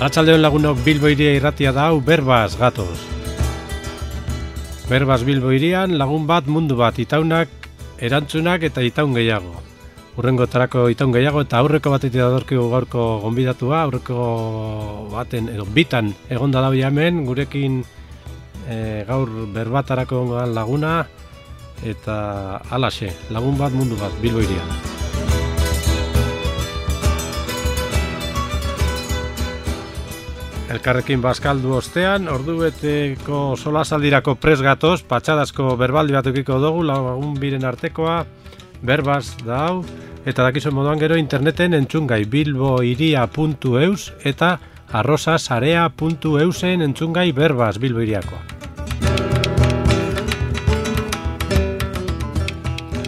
Arratsaldeon lagunok, Bilbo Hiria irratia da hau, berbaz gatoz. Berbaz Bilbo Hirian lagun bat mundu bat, itaunak, erantzunak eta itaun gehiago. Hurrengotarako itaun gehiago eta aurreko batetik datorkigu gaurko gonbidatua, aurreko baten edo bitan egonda dago hemen, gurekin gaur berbatarako laguna eta halaxe, lagun bat mundu bat, Bilbo Hirian. Elkarrekin bazkaldu ostean, ordubeteko solasaldirako pres gatoz, patxadazko berbaldi bat eukiko dugu, lagun biren artekoa, berbaz da hau, eta dakizuen moduan gero interneten entzungai bilbohiria.eus eta arrosasarea.eusen entzungai berbaz Bilbo Hiriakoa.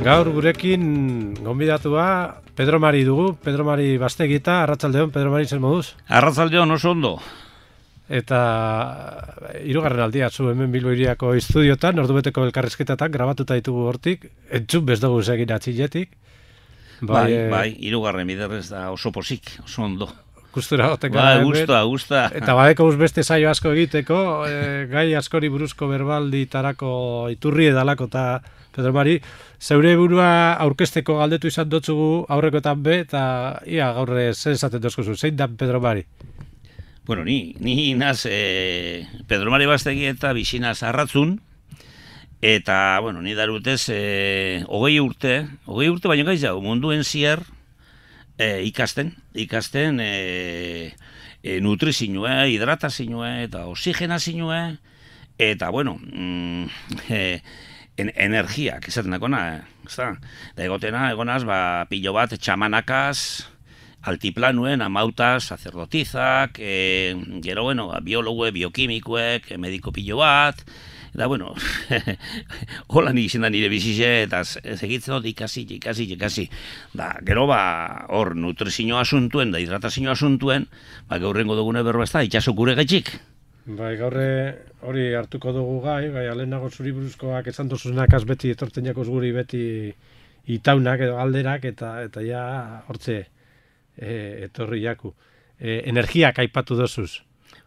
Gaur gurekin gonbidatua Pedro Mari dugu, Pedro Mari Bastegita, arratsaldeon, Pedro Mari zer moduz? Arratsaldeon oso ondo. Eta hirugarren aldia zu hemen Bilbo Hiriako estudiotan, ordubeteko elkarrizketatan grabatuta ditugu hortik, entzun bez dugu egin atxiletik. Bai, hirugarren biderrez da oso posik, oso ondo. Gustura goten gara hemen. Gusta. Eta badeko beste saio asko egiteko, gai askori buruzko berbalditarako iturri edalako eta Pedro Mari, zeure burua aurkezteko galdetu izan dotzugu aurrekoetan be, eta ia gaur zen esaten dozkuzu, zein da Pedro Mari? Bueno, ni naz Pedro Mari Bastegi eta bizinaz arratzun, eta, bueno, ni darutez 20 urte baino gaiz jau, munduen zier ikasten nutrizioa, hidratazioa eta oxigenazioa, eta, bueno, energiak, esaten dakona, da egonaz, pilo bat txamanakaz, altiplanuen, amautas, sacerdotizak, gero, bueno, biologue, biokimikuek, mediko pilo bat, eta, bueno, hola nik izan da nire bizize, eta segitzen dut ikasi. Da, gero, hor, nutrizioa asuntuen, da hidratazioa asuntuen, gaurrengo dugune berba ez da, itxasok gure gaitxik. Bai, gaurre hori hartuko dugu gai, alenago zuri buruzkoak esan dozuzunakaz beti etortzen jakoz guri beti itaunak edo alderak eta ja hortze etorri jaku. Energiak aipatu dozuz.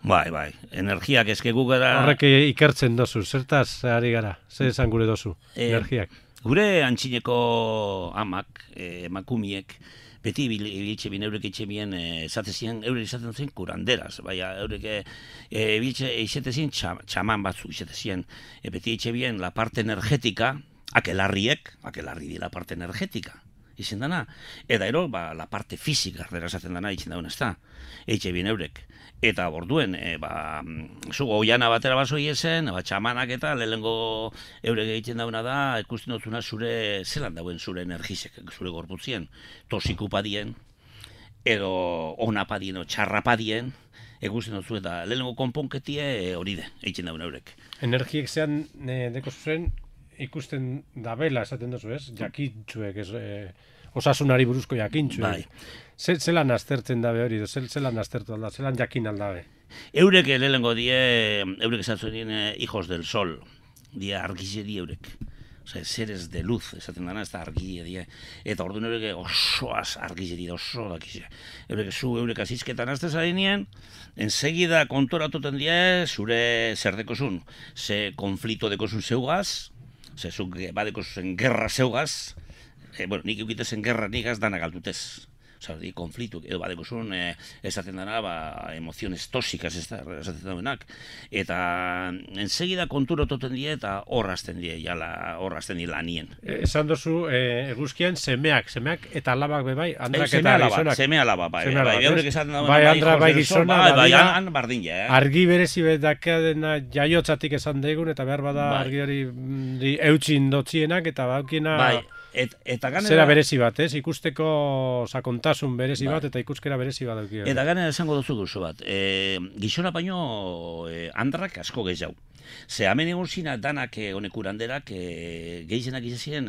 Bai, energiak eskegu gara... Horrek ikertzen dozuz, zertaz ari gara, zer esan gure dozu, energiak. Gure antxineko amak, emakumiek, beti bilitxe bien, eurek itxe bien, eurek izaten zen kuranderaz, eurek izate zien txaman batzu izate zien, beti itxe bien la parte energetika, akelarri di la parte energetika, izen dana, eta ero, la parte fizika, erdera esaten dana, itzen daun ez da, itxe bien eurek. Eta borduen, zugo oiana batera bazoi esen, txamanak eta lehengo eurek egiten dauna da, ikusten dutzuna zure, zelan dauen zure energizek, zure gorputzien, tosikupadien, edo onapadien, o txarrapadien, ikusten dutzu eta lehengo konponketie hori egiten dauna eurek. Energiek zean deko zuzen ikusten dabela esaten duzu ez, jakintzuek, osasunari buruzko jakintzuek. Bai. Zelan aztertzen dabe hori, zelan aztertu alda, zelan jakin aldabe? Eurek lehengo eurek esatzen dien hijos del sol, die argizeri eurek. Osea, seres de luz, esaten dana, ez da argile die. Eta orduan eurek osoaz argizeri da, oso dakize. Eurek azizketan azte zarenien, ensegida kontoratuten die, zure zer dekozun, ze konflito dekozun zeugaz, ze zuk badekozun gerra zeugaz, nik eukitezen gerra nigaz dana galtutez. Osa, konflitu, edo badekozun esaten dana, emoziones tóxicas esaten dauenak. Eta ensegida konturototen die eta horrazten die lanien. Esan dozu, eguzkian semeak eta alabak bebai, andrak eta gizonak. Seme alaba, bai. Bai, andra bai gizona, bardin, argi berezi bedakadena jaiotzatik esan daigun, eta behar bada argi hori eutxin dotzienak, eta baukina... Zera berezi bat, ikusteko sakontasun berezi bat eta ikuskera berezi bat daukio. Eta gana esango duzu bat, gizona baino andrak asko gehiago. Ze hemen egon zina danak honek uranderak gehienak izan ziren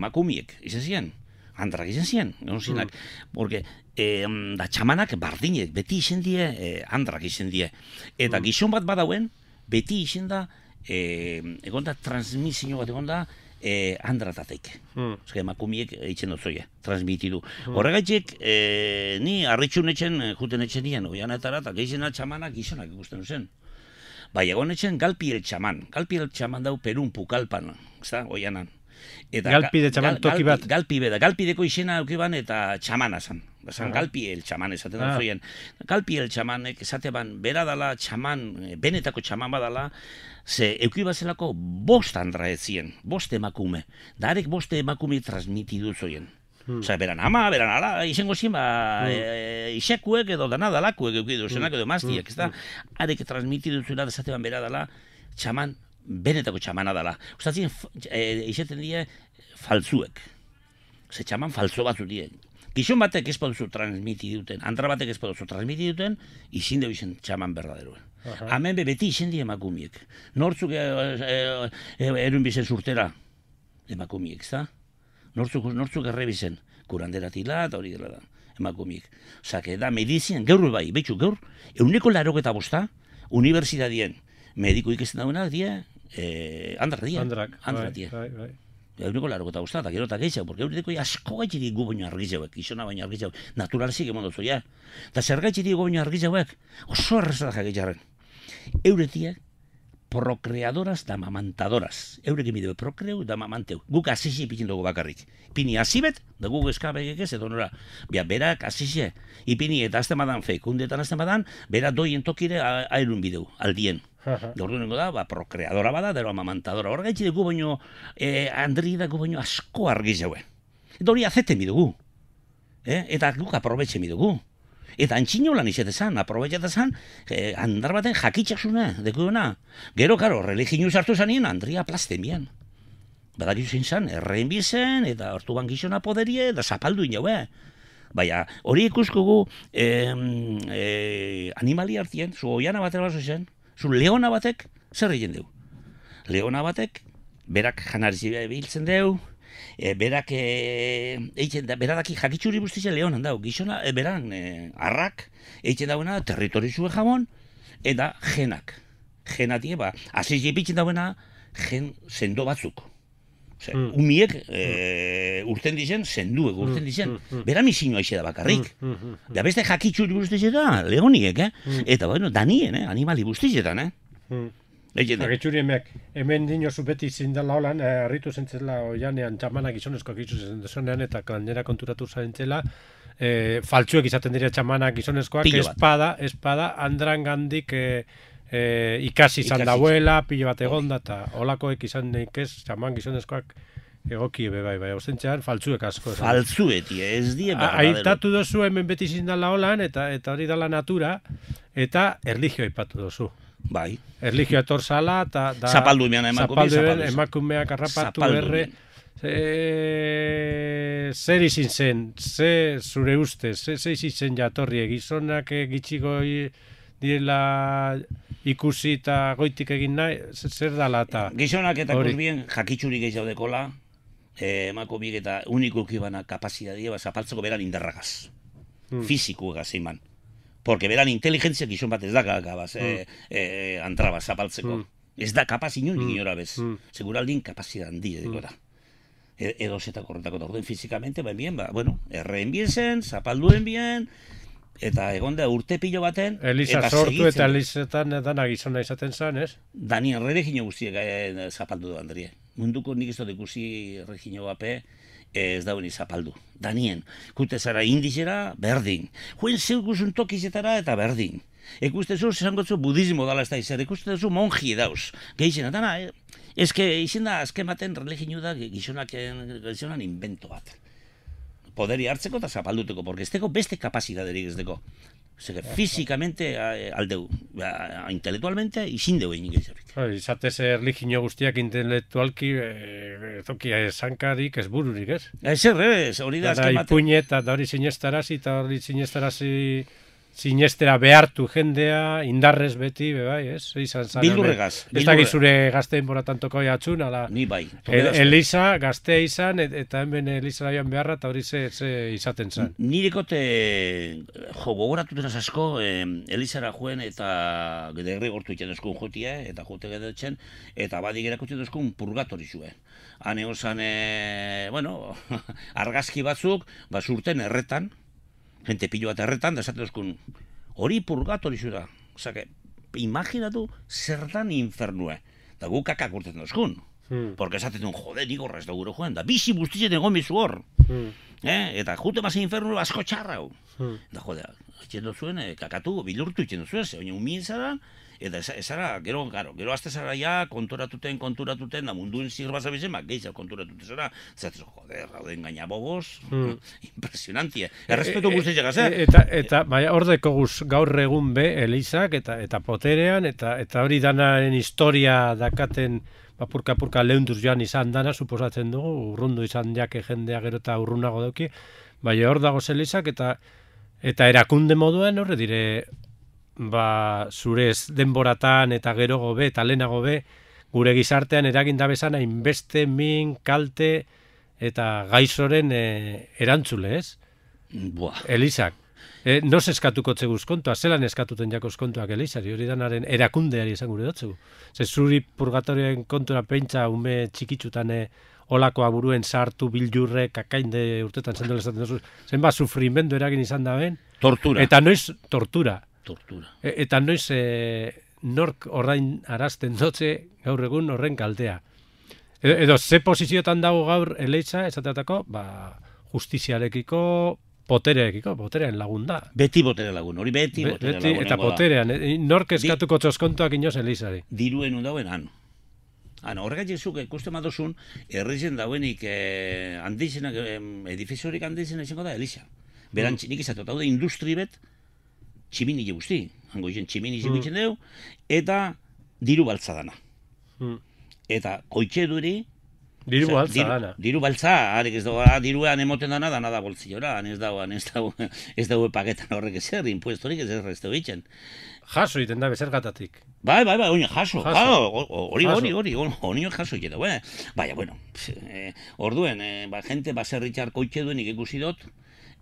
makumiek, izan ziren, andrak izan ziren, egon zinak. Porque da txamanak bardinek, beti izan die, andrak izan die. Eta gizon bat badauen, beti izan da, egon da transmisio bat egon da, andratatek. Emakumiek eitzen dozoia, transmitidu. Horregaitik, ni harritxun etxen, juten etxen nien, oianetara, eta gehizena txamanak gizonak ikusten zen. Bai, egon etxen galpi el txaman. Galpi el txaman dau Perun pukalpan, ezta, oianan. Galpi de txaman toki bat. Galpi beda, galpi deko izena aukiban eta txamana zan. Galpi el txaman esaten da zoien. Galpi el txamanek esateban bera dala txaman, benetako txaman badala, ze eukibazelako 5 andra ezien, 5 emakume. Darek 5 emakume transmitidu zoien. Osa, beran ama, beran ala, izango zien, isekuek edo danadalakuek eukidu zenak edo maztiak, ez da? Arek transmitidu zuela esateban bera dala txaman, benetako txamana dala. Ustatzen, izaten die faltzuek. Ze txaman faltzo batzu die. Gizon batek ez poduzu transmiti duten, andra batek ez poduzu transmiti duten, izin deu izen txaman berdaderoen. Hemen beti izen die emakumiek. Nortzuk erun bizen surtera emakumiek, ez da? Nortzuk errebizen, kuranderatila eta hori dela da, emakumiek. Osake, da, medizien, gaur bai, betxu, gaur, 185 unibertsitatien mediko ikesten daunak die, andra die. Andrak die. Eguneko 85 eta gero eta gehiago, porque eureteko asko gaitxiri gu baino argizauek, izona baino argizauek, naturalezik emon dozu, ja. Eta zer gaitxiri gu baino argizauek, oso errezadak gaitxarren. Euretiek, procreadoras da mamantadoras. Eurek emideu procreu da mamanteu. Guk asisi pitin dugu bakarrik. Ipini asibet, da guk eskabegek ez, edo nora. Berak asisi, ipini eta azten badan fekundetan azten badan, bera doien tokire aerun bideu, aldien. Gaurduengo da, procreadora bada, dero mamantadora. Horregaitzi dugu baino, Andri da gu baino asko argi jaue. Eta hori azeten bidugu. Eta guk aprobetxe bidugu. Eta antxino lan izetezan, aprobetxetezan, andar baten jakitxasuna, dekuena. Gero, karo, religinu sartu zanien, Andria plasten bian. Badakizu zein zan, errein bizen, eta hortu gizona poderie, eta zapaldu inaue. Baina, hori ikuskugu animali hartien, zu oiana batera baso zen, zu leona batek, zer egin deu? Leona batek, berak janarizi biltzen deu, berak beradaki jakitxuri buztize leonan dau, gizona, beran arrak, eitzen dauena territorizue jamon, eta genak. Genatie, aziz jepitzen dauena, gen sendo batzuk. Umiek urten dizen, senduek urten dizen. Bera misinua ize da bakarrik. Da beste jakitxuri buztize da, leoniek, eta bueno, danien, animali buztizetan, Agitxuriemek, hemen dinozu beti zindala holan, harritu zentzela oianean txamanak gizonezkoak izuzen dezonean eta gainera konturatu zaintzela, faltsuek izaten dira txamanak gizonezkoak, espada, andran gandik ikasi izan dauela, pilo bat egonda, eta holakoek izan nik ez, txaman gizonezkoak egoki bai, ostentzean faltsuek asko. Faltsueti, ez die berradero. Aitatu dozu hemen beti zindala holan, eta hori dala natura, eta erlijio aipatu dozu. Bai. Erlijio etor zala, eta... Zapaldu emean emakumeak harrapatu erre. Zer izin zen, zure ustez, zer izin zen jatorri, gizonak gitxigo direla ikusi eta goitik egin nahi, zer dala eta... Gizonak eta kurbien jakitxurik ez daudekola, emakumeak eta unikuki bana kapazitatea, zapaltzeko beran indarragaz. Fizikuegaz iman. Porque beran inteligentzia gizon bat ez da gabaz, antraba zapaltzeko. Ez da kapaz inundik inora bez. Seguraldin kapazia handi edikora. Edo zetako horretako da. Orden fizikamente, bien, bueno, erreen bien zen, zapalduen bien, eta egon da urte pilo baten... Eliza sortu eta Elizetan dana gizona izaten zen, ez? Danien erregino guztiek zapaldu du, Andrie. Munduko nik ez dut ikusi erregino bape, ez dauen zapaldu. Danien, kute zara indizera, berdin. Joen zeuguzun tokizetara eta berdin. Ikustezu, zesangotzu budismo dala ez da izan, ikustezu monji dauz. Gehizena, dana, izin da azken baten religinu da gizonan invento bat. Poderi hartzeko eta zapalduteko, porque ez deko beste kapazitaterik ez deko. Fizikamente aldeu, intelektualmente izin deu egin gehiagorik. Izatez erligio guztiak intelektualki zokia esankarik ez bururik, ez? Ez, hori da azken baten. Ipuñet, eta hori sinestarazi, sinestera behartu jendea, indarrez beti, bai, ez? Izan zan, Bildurregaz. ez dakit zure gazteen boratan toko jatxun, ala... Ni bai. Eliza, gaztea izan, eta hemen Eliza joan beharra, eta hori ze izaten zan. Nirekote, gogoratuten asko, Elizara joen eta derri gortu iten duzkun jotia, eta jote gedetzen, eta badik erakutsi duzkun purgatori zuen. Hane osan, argazki batzuk, surten erretan, gente pilo bat erretan, da esaten duzkun, hori purgatori zura. Osake, imaginatu zertan infernue. Da gu kakak urtetan duzkun. Porque esaten duen, jode, nik horrez da gure joan. Da bizi guztitzen egon bizu hor. Eta jute mazen infernu asko txarrau. Da jode, etxen duzuen, kakatu, bilurtu etxen duzuen, ze oin umien zara, eta ezara, gero azte zara ja, konturatuten, da munduen zirbaza bizen, gehiago konturatuten zara, zaten, joder, rauden gaina bogoz, impresionantie. Errespetu guztiak egaz, Eta, baina, ordeko gaur egun be, Elizak, eta poterean, eta hori danaren historia dakaten, purka lehunduz joan izan dana, suposatzen dugu, urrundu izan jake jendea gero eta urrunago dauki, baina hor dago Elizak, eta erakunde moduan, horre dire, zure denboratan eta gero gobe eta lehenago be gure gizartean eragin da bezana inbeste min, kalte eta gaizoren erantzule, ez? Elizak. Nos eskatuko zeguz kontua, zelan eskatuten jakos kontuak Elizari, hori danaren erakundeari esan gure dotzegu. Ze zuri purgatorioen kontura pentsa ume txikitzutan olakoa buruen sartu bildurre, kakainde urtetan zendela esaten duzu, zenba sufrimendu eragin izan da ben? Tortura. Eta noiz tortura. Eta noiz nork ordain arazten dotze gaur egun horren kaltea. Edo ze posiziotan dago gaur Eliza, esateatako, justiziarekiko, poterean lagun da. Beti botere lagun, hori beti botere lagun. Eta poterean, nork eskatuko txoskontuak inoz Elizari. Diruen dauen han. Horregatik zuk ikusten madozun, herrizen dauenik handizenak, edifiziorik handizenak izango da Eliza. Berantzinik izatu, eta industri bet, tximini guzti, hango izen tximini guztien dugu, eta diru baltza dana. Eta koitxe duri... Diru baltza dana. Diru baltza, harek ez dago, diruan emoten dana da boltziora, ez dago paketan horrek ezer, impuestorik ez dago itzen. Jaso iten da bezergatatik. Bai, oin jaso. Hori jaso iten da. Baina, bueno, orduen, gente baserritxar koitxe duen ikusi dut,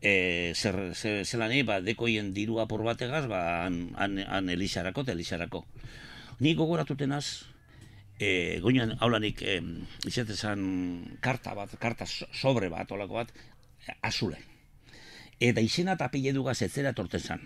zelan dekoien diru apur bategaz, han Elizarako eta Elizarako. Nik gogoratutenaz, goinan haulanik izatezan karta sobre bat, olako bat, azule. Eta izena eta apile dugaz etzera torten zan.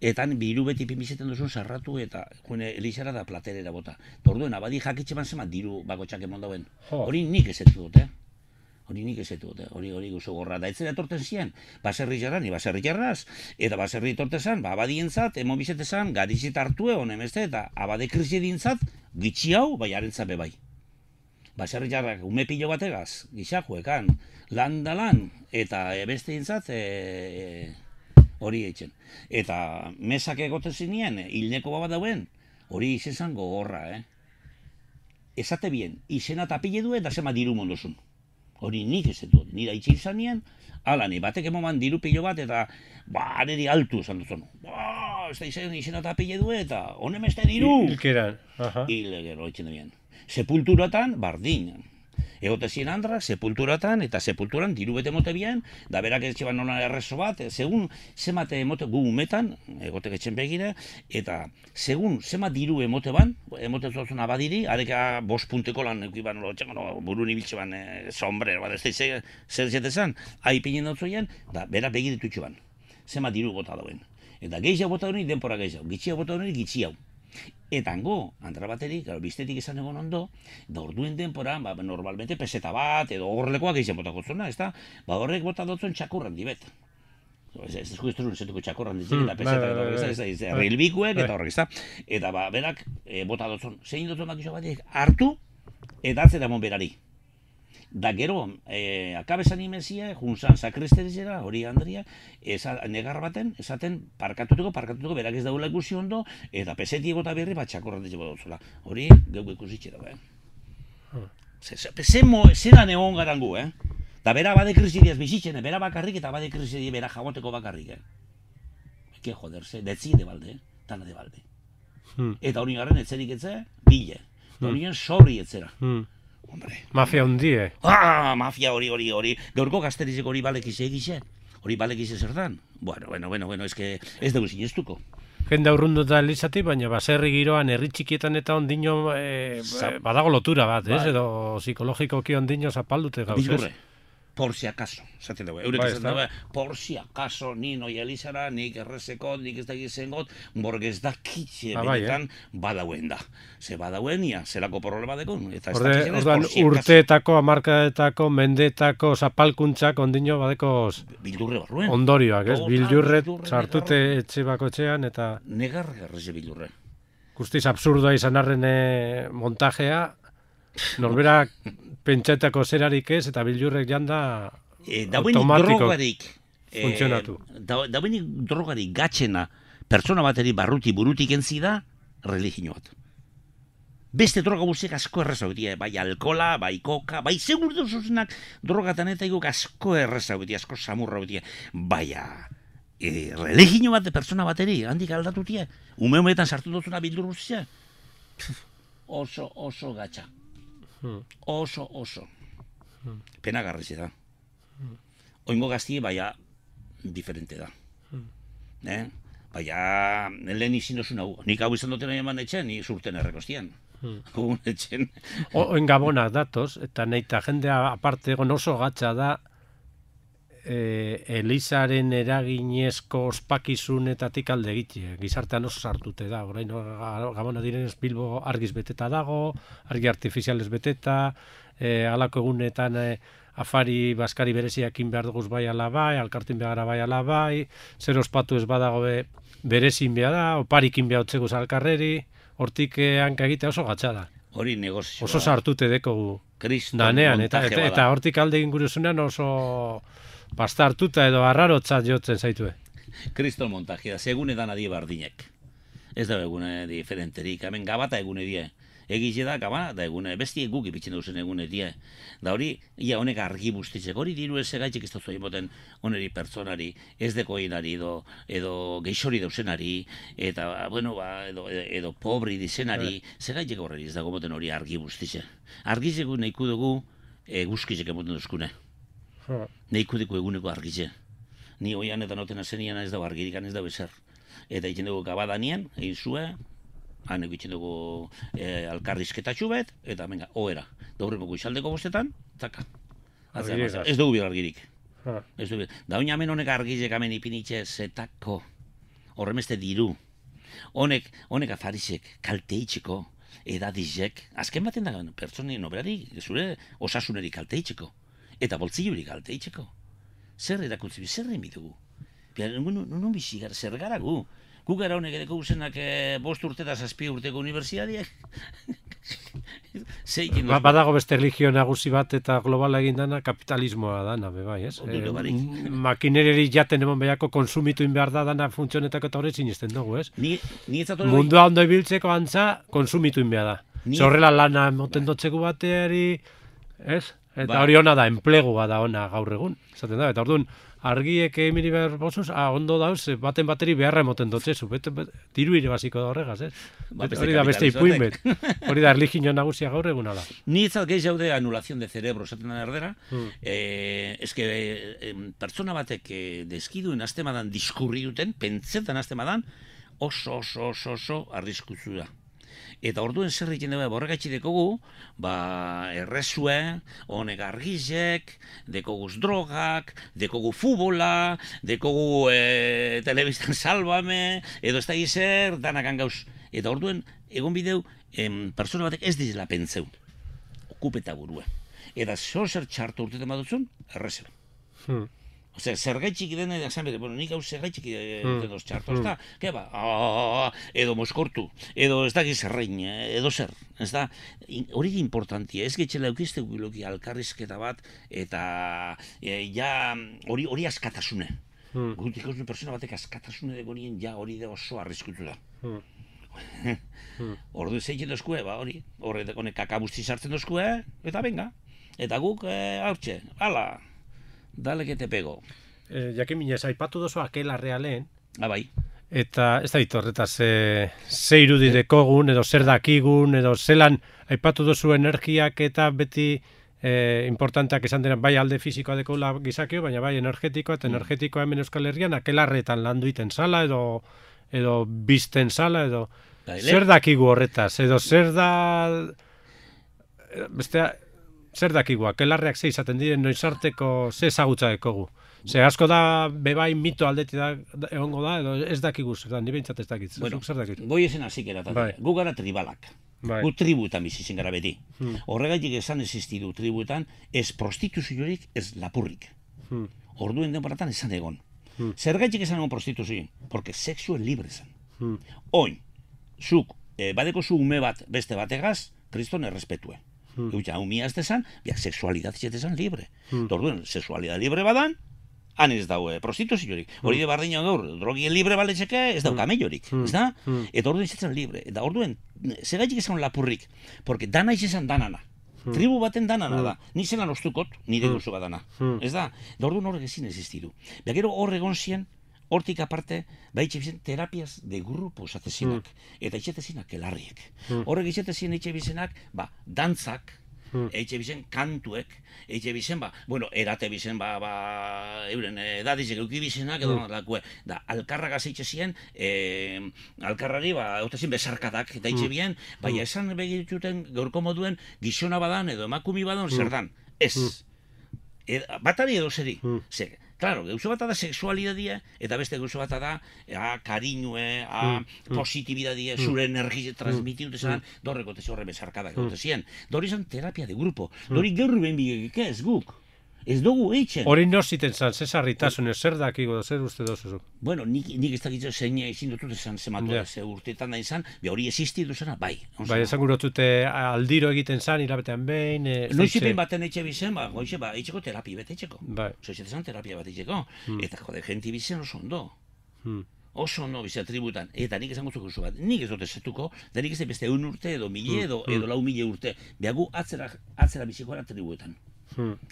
Eta biru beti pimizeten duzun sarratu eta Elizara da platerera bota. Torduen, abadi jakitxe man zeman diru bakotxak emon dauen. Hori nik ezetu dut, hori guzu gorra. Da etzera torten ziren, baserri jarra, ni baserri jarraz, eta baserri torten zan, abadientzat, emon bizetezan, garizit hartue, honemezte, eta abade krisi dintzat, gitxi hau, bai harentzat bebai. Baserri jarrak ume pilo bategaz, gixakuekan, lan da lan, eta beste dintzat, hori eitzen. Eta mesak egoten zinien, hilneko bat dauen, hori izan gogorra, Esate bien, izena tapile duen, da zema diru mondozun. Hori nik ez dut, nira itxe izan nien, alani, batek emoman diru pilo bat, eta, niri altu esan duzun. Ez da izena tapile duen, eta, honem ez da diru. Hilkeran. Hilkeran, hori txen duen. Sepulturatan, bardin. Egote zien andrak, sepulturatan, eta sepulturan diru bete mote bien, da berak etxe ban nola errezo bat, segun zemate emote gu umetan, egote etxen begire, eta segun zemat diru emote ban, emote zuzun abadiri, areka 5 punteko lan eukiban, burun ibiltxe ban, sombrero, bat ez da zer zetezan, haipinen dut zoien, da berak begiritu itxe ban, zemat diru bota dauen. Eta gehiago bota hori, denpora gehiago, gitxiago bota hori, gitxiago. Eta hango, andra baterik, biztetik esan egon ondo, da orduen denpora, normalmente peseta bat, edo horrelekoak egiten botako zona, ez da? Horrek bota dutzen txakurran dibet. Ez duzun zetuko txakurran ditzen, eta peseta, ez da, rilbikuek, eta horrek, ez da? Eta berak bota dutzen, zein dutzen bat batek, hartu, eta atzera mon berari. Da gero, akabezan imezia, junzan sakristerizera, hori Andria, negar baten, esaten parkatutuko, berak ez daula ikusi ondo, eta peseti egota berri bat txakorran dutxeko dauzula. Hori, geuko ikusitxera, Zeran egon garangu, Da bera bade krisidiaz bizitzen, bera bakarrik eta bade krisidia bera jagoteko bakarrik, que joderse, detzi de balde, tana de balde. Eta hori garen etzerik etze, bile. Horien sorri etzera. Hombre. Mafia hundie. Mafia hori. Gaurko gazterizek hori balekize egize. Hori balekize zer dan. Bueno, ez dugu sinestuko. Jende aurrundu da Elizati, baina baserri giroan herri txikietan eta ondino badago lotura bat, ez? Edo psikologikoki ondino zapaldute gauz, ez? Bildurre. Por si acaso, esaten dugu. Eurek esaten dugu, por si acaso, ni noi Elizara, nik errezeko, nik ez da gizengot, borgez da kitxe benetan badauen da. Ze badauen, zelako problema dekun. Orduan urteetako, hamarkadetako, mendetako, zapalkuntzak ondino badeko bildurre barruen. Ondorioak, ez? Bildurre sartute etxe bako etxean eta... Negarrez bildurre. Guztiz absurdoa izan arren montajea, norberak pentsatako zerarik ez, eta bildurrek janda automatiko funtzionatu. Dauenik drogarik gatxena pertsona bateri burutik entzi da, religio bat. Beste droga guztiak asko errezau dira, bai alkola, bai koka, bai segur duzuzenak drogatan eta igok asko errezau dira, asko samurra dira. Baina, religio bat pertsona bateri, handik aldatu dira, umeetan sartu duzuna bildur guztia. Oso gatxa. Oso. Penagarriz da. Oingo gaztie, baina, diferente da. Baina, lehen izin dozun hau. Nik hau izan duten eman etxen, ni surten errekostian. Oin gabonak datoz, eta nahi eta jendea aparte egon oso gatza da Elizaren eraginezko ospakizunetatik alde egitea. Gizartean oso sartute da. Orain gabona direnez Bilbo argiz beteta dago, argi artifizialez beteta, halako egunetan afari baskari bereziakin behar duguz bai ala bai, alkartin behar bai ala bai, zer ospatu ez badago berezin behar da, oparikin behar otzeguz alkarreri, hortik hanka egitea oso gatsa da. Hori negozioa. Oso sartute dekogu danean, eta hortik alde inguruzunean oso pasta hartuta edo arrarotzat jotzen zaitue. Kriston montajea, segun edan adie bardinek. Ez da egune diferenterik, hemen gabata egune die. Egize da, gabana da egune, besti guk ipitzen duzen egune die. Da hori, ia honek argi bustitzek, hori diru ez egaitxek ez dut zoimoten oneri pertsonari, ez dekoinari edo geixori dausenari, eta, bueno, edo pobri dizenari, zegaitzek horreri ez dago moten hori argi bustitze. Argizeko nahiko dugu guzkizek emoten duzkune. Neiko diko eguneko argitze. Ni oian eta notena zenian ez dago argirikan ez dago ezer. Eta egiten dugu gabadanian, egin zue, han egiten dugu alkarrizketatxu bet, eta venga, oera. Daurremoko izaldeko bostetan, zaka. Ez dugu bir argirik. Da oin hemen honek argizek hemen ipinitxe zetako. Horremeste diru. Honek afarizek, kalteitzeko, edadizek. Azken baten da, pertsoni noberari, zure osasuneri kalteitzeko. Eta boltzillurik kalteitzeko. Zer erakuntzi, zer emidugu? Non bizi gara, zer gara gu? Gu gara honek edeko guzenak 5 urte eta 7 urteko unibertsitateak. Badago beste religio nagusi bat eta globala egin dana kapitalismoa dana, bai, ez? Makinereri jaten emon behiako konsumitu behar da dana funtzionetako eta horretzin izten dugu, ez? Mundua ondo ibiltzeko antza konsumitu behar da. Zorrela lana moten dotzeko bateari, ez? Eta hori ona da, enplegua da ona gaur egun. Zaten da, eta orduan, argiek emiri behar bozuz, ondo dauz, baten bateri beharra emoten dotzezu. Diru irabaziko da horregaz, ez? Hori da beste ipuin bet. Hori da erligio nagusia gaur eguna da. Ni etzat gehi jaude anulazion de cerebro, esaten da erdera. Ez que pertsona batek deskiduen aztemadan diskurri duten, pentsetan aztemadan, oso arriskutzu da. Eta orduen zer egiten dugu, borregatxi dekogu, errezue, honek argizek, dekoguz drogak, dekogu futbola, dekogu telebistan salbame, edo ez da gizer, danakan gauz. Eta orduen, egon bideu, persona batek ez dizela pentseu, okupeta burua. Eta zer txartu urtetan badutzun, errezeu. Osea, zergaitxik den esan bete, bueno, nik hau zergaitxik dedoz txartu, ez da? Ke ba, edo moskortu, edo ez da gizarrein, edo zer, ez da? Hori importantia, ez getxela eukizte guiloki alkarrizketa bat, eta hori askatasune. Gutik hausen persona batek askatasune dago nien, hori da oso arriskutu da. Ordu zeitzen dozkue, hori, honek kakabuzti sartzen dozkue, eta venga, eta guk haurtxe, ala, dale que te pego. Jakin minez, aipatu dozu Aquelarrea lehen. Bai. Eta ez da horretaz ze irudi dekogun, edo zer dakigun, edo zelan aipatu duzu energiak eta beti importanteak esan dira bai alde fizikoa dekola gizakio, baina bai energetikoa, eta energetikoa hemen Euskal Herrian akelarretan landu iten zala, edo bizten zala, edo zer dakigu horretaz, edo zer da bestea, zer dakigu, akelarreak ze izaten diren noizarteko ze ezagutza dekogu. Ze asko da bebai mito aldeti da egongo da, edo ez dakigu zer da, ni behintzat ez dakit. Bueno, zer dakit? goiezen hasik eratatik. Gu gara tribalak. Gu tribuetan bizitzen gara beti. Horregaitik esan existidu tribuetan, ez prostituziorik, ez lapurrik. Orduen denboratan esan egon. Zergaitik esan egon prostituziorik? Porque sexuen libre zen. Oin, zuk, badeko zu ume bat beste bategaz, kriston errespetue. Eutxa, umia ez desan, biak sexualidad izan libre. Orduen, sexualidad libre badan, han ez daue prostituziorik. Hori de bardina gaur, drogien libre baletxeke, ez dau kamellorik, ez da? Eta orduen izatzen libre. Eta orduen, segaitik esan lapurrik, porque dana izan danana. Tribu baten danana da. Ni zelan ostukot, nire duzu badana. Ez da? Eta orduen horrek ezin existidu. Gero hor egon zien, hortik aparte, itxe bizen terapias de grupo esatezinak. Eta itxetezinak elarriek. Horrek itxetezien itxe bizenak, dantzak, eitxe bizen kantuek, eitxe bizen, erate bizen, euren edadizek euki bizenak, edo lakue, da, alkarragaz eitxe zien, alkarrari, eutezin besarkadak, eta eitxe bien, esan begirituten gaurko moduen gizona badan, edo emakumi badan, zer dan, ez. Batari edo zeri, claro, gauzo bat da sexualidadia, eta beste gauzo bat da kariñue, positibidadia, zure energia transmititu desan, dorreko tezi horre besarkadak egote zien. Dori zan terapia de grupo, dori gaur ben bigek ez guk. Ez dugu eitzen. Hori ziten zan, zesarritasun, zer dakigo, zer uste dozuzuk? Bueno, nik ez dakitzu zein ezin dutut esan zematu ze urteetan da izan, hori existitu zena, bai. Bai, esan gurotute aldiro egiten zan, hilabetean behin... Noizipen baten eitxe bizen, goize, eitxeko terapia bat eitxeko. Bai. Zoizetan terapia bat eitxeko. Eta jode, genti bizen oso ondo. Oso ondo bizia tributan. Eta nik esan guztuko bat, nik ez dut ezetuko, da nik ez beste 1 urte edo 1000 edo 4.000 urte. Beagu atzera bizikoara tribuetan.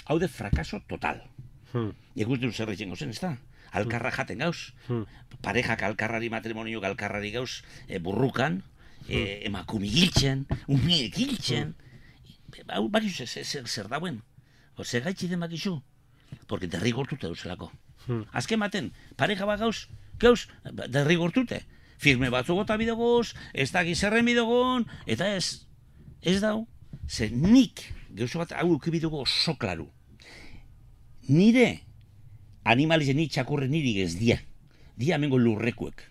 Hau de frakaso total. Ikus dut zer egin gozen, ez da? Alkarra jaten gauz. Parejak alkarrari, matrimoniok alkarrari gauz, burrukan, emakumi giltzen, umiek giltzen. Hau bakizu zer dauen. Zer gaitzi den bakizu. Porque derrigortute duzelako. Azken baten, pareja bat gauz, derrigortute. Firme batzu gota bidegoz, ez da gizerren bidegon, eta ez dau, ze nik, gauzo bat hau ukibidugu oso klaru. Nire animalize nik txakurre nirik ez dia amengo lurrekuek.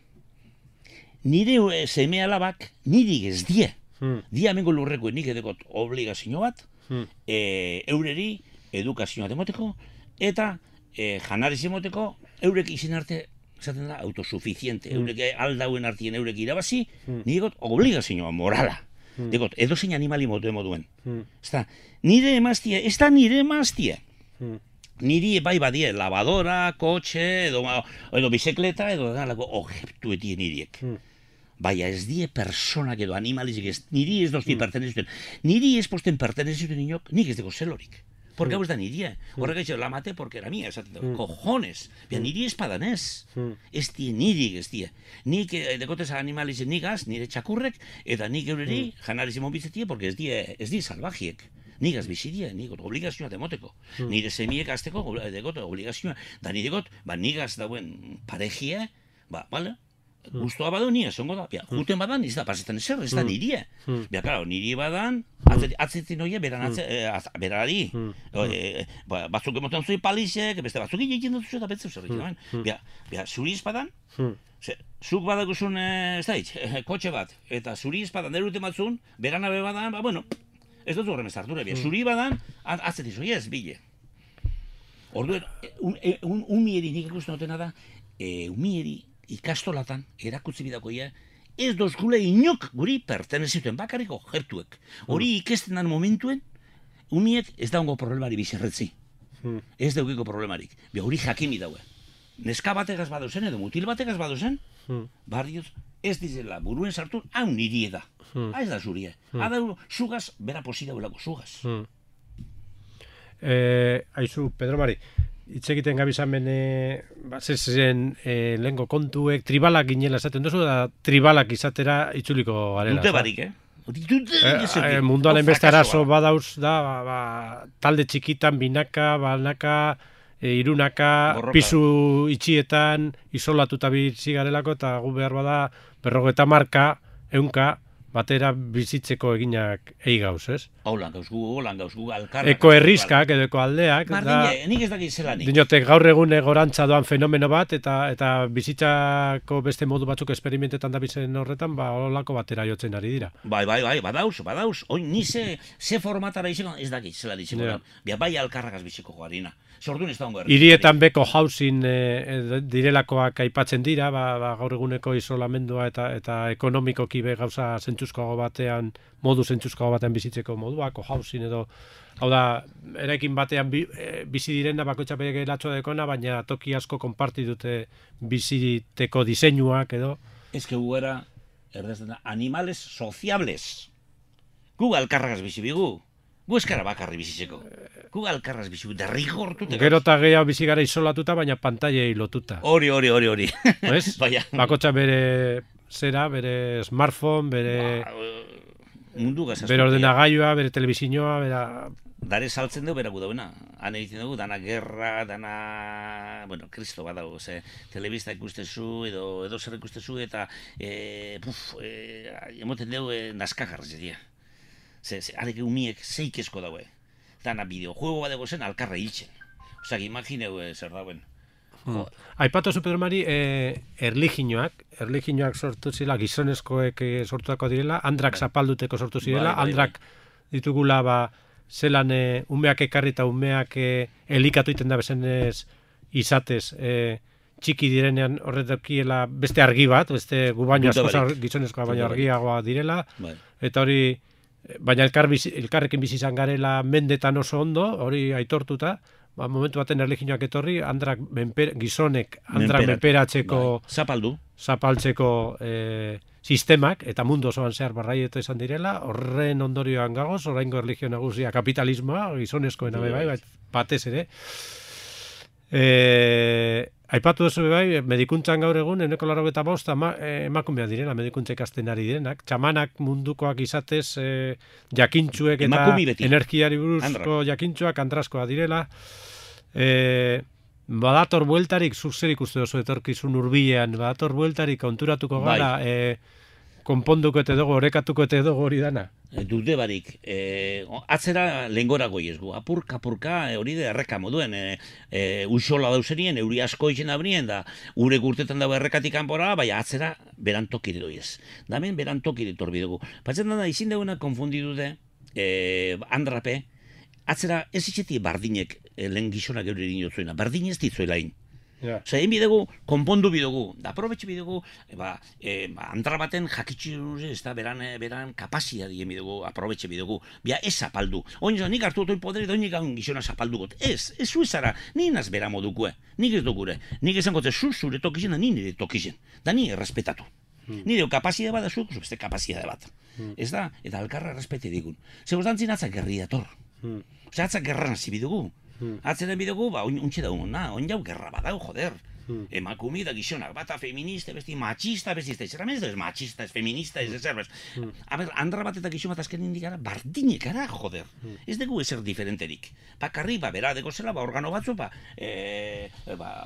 Nire seme alabak nirik ez dia amengo lurrekuek, nik edekot obligazio bat, eureri edukazioa demoteko, eta janariz emoteko, eurek izin arte, esaten da, autosuficiente, eurek aldauen artien eurek irabazi, nik edekot obligazioa morala. Dekot, edo zein animali moduen. Nire emaztia, ez da nire emaztia. Niri bai badie, lavadora, kotxe, edo bisekleta, edo objektuetien niriek. Baina ez die personak edo animalizik ez, niri ez dozti pertenezuten. Niri ez posten pertenezuten inok, nik ez deko zelorik. Porque hau ez da nirie. Horrek eitxe, la mate porque era mía, esaten da, cojones. Niri ez padanez. Ez die, nirik ez die. Nik dekotez animalizen nigaz, nire txakurrek, eta nik eureri janarizen monbitzetie, porque ez die salvajiek. Nigaz bizidie, nikot obligazioa demoteko. Nire semiek azteko dekot obligazioa. Da nirikot, nigaz dauen parejie, bale? Guztua badu nire, zongo da. Juten badan, ez da, pasetan ezer, ez da nirie. Claro, niri badan, atzetin oie, berari. Batzuk emoten zui palizek, beste batzuk egiten dut eta betzu zer egiten. Zuri izpadan, zuk badakuzun, ez da hitz, kotxe bat, eta zuri izpadan, derute batzun, berana bebadan, bueno, ez dut horrem ez harture, zuri badan, atzetin zui ez, bile. Orduen, umieri nik ikusten dutena da, umieri, ikastolatan, erakutzi bidakoia, ez dozkule inok guri pertenezituen bakarriko jertuek. Hori ikesten dan momentuen, umiek ez daungo problemari bizerretzi. Ez daukiko problemarik. Hori jakimi daue. Neska bategaz badozen edo mutil bategaz badozen, barrioz ez dizela buruen sartu, hau niri da. Ez da zurie. Hau zugaz, bera posi dauelako zugaz. Aizu, Pedro Mari, hitz egiten gabizamen zen lehenko kontuek tribalak ginela esaten duzu, da tribalak izatera itzuliko garela. Dute barik, munduan enbeste arazo badauz da, talde txikitan, binaka, banaka, irunaka, Borroka. pisu itxietan, isolatuta bizi garelako, eta gu behar bada, 50 marka, 100 batera bizitzeko eginak gauz, ez? Holan gauzgu, alkarrak. Eko herrizkak edo eko aldeak. Bardine, nik ez dakit zelanik. Dinotek gaur egun gorantza doan fenomeno bat, eta bizitzako beste modu batzuk esperimentetan da bizen horretan, holako batera jotzen ari dira. Bai, badauz. Oin, ni ze formatara izango, ez dakit zela ditzeko. Yeah. Bai alkarrakaz biziko joarina. Zordun ez da hongo Hirietan beko housing direlakoak aipatzen dira, gaur eguneko isolamendua eta ekonomikoki be gauza zentzuzkoago batean, modu zentzuzkoago batean bizitzeko moduak, housing edo, hau da, eraikin batean bizi direna bakoitza bere gelatxoa dekona, baina toki asko konparti dute biziteko diseinuak edo. Ez que gu era, animales sociables. Gu alkarrakaz bizi bigu. Gu eskara bakarri bizitzeko. Gu alkarraz bizi bigu, derrigortute. Gero eta gehiago bizi gara isolatuta, baina pantailei lotuta. Hori. Ez? Bakotxa bere zera, bere smartphone, bere ordenagailua, bere telebizinoa, Dare saltzen dugu, beragu dauena. Han egiten dugu, dana gerra, dana... Bueno, kristo bat dago, telebista ikustezu, edo zer ikustezu, eta emoten dugu naskagarra zedia. Arek umiek zeikezko daue. Dana bideojuego bat dago zen alkarra hiltzen. Osak, imagineu zer dauen. Aipatu zu, Pedro Mari, erliginoak sortu zirela, gizonezkoek sortuako direla, andrak zapalduteko sortu zirela, andrak ditugula zelan umeak ekarri eta umeak elikatu iten da bezenez izatez txiki direnean horretakiela beste argi bat, beste gu baino gizonezkoa baino argiagoa direla, eta hori, baina elkarrekin bizi izan garela mendetan oso ondo, hori aitortuta, momentu baten erliginoak etorri, gizonek andrak menperatzeko zapaltzeko sistemak, eta mundu osoan zehar barraieto izan direla, horren ondorioan gagoz, oraingo erligio nagusia kapitalismoa, gizonezkoena batez ere. Aipatu duzu bai, medikuntzan gaur egun, 95% emakumeak direla, medikuntza ikasten ari direnak, txamanak mundukoak izatez, jakintxuek eta energiari buruzko jakintxuak andraskoa direla, badator bueltarik, zuk uste duzu etorkizun hurbilean, badator bueltarik konturatuko gara, konponduko eta dugu, orekatuko eta dugu hori dana. Dute barik, atzera lehengorako iezgu, apurka, hori da erreka moduen, usola dauzerien, euri asko izen abrien, da urek urtetan dago errekatik kanpora, bai atzera berantokire doiez. Damen berantokire torbi dugu. Batzen da, izin duguna konfundidu andrape, atzera ez itxeti bardinek lehen gizonak euri dinotzuena, bardin ez ditzuelain. Osa, egin bidegu, konpondu bidegu, da aprobetxe bidegu, andra baten jakitxu ez da, beran kapazia dien bidegu, aprobetxe bidegu, bia ez zapaldu. Oin nik hartu otoi podere, da oinik gaun gizona zapaldu got. Ez zuezara, ni naz bera modukue, nik ez dugure. Nik esan gote, zure tokizien, da ni nire tokizien, da ni errespetatu. Nire kapazia bat, zuk, beste kapazia bat. Ez da, eta alkarra errespete digun. Zegoz dantzin atzak gerri dator. Osa, atzak gerra nazi bidugu. Atzeren bidugu, untxe da oin jau gerra badau, joder. Emakumi da gizonak, bata feminista, besti machista, besti ez ez machista, ez feminista, ez ezer, bez. Andra bat eta gizon bat azken indikara, bardinekara, joder. Ez dugu ezer diferenterik. Bakarri, bera deko zela, organo batzu,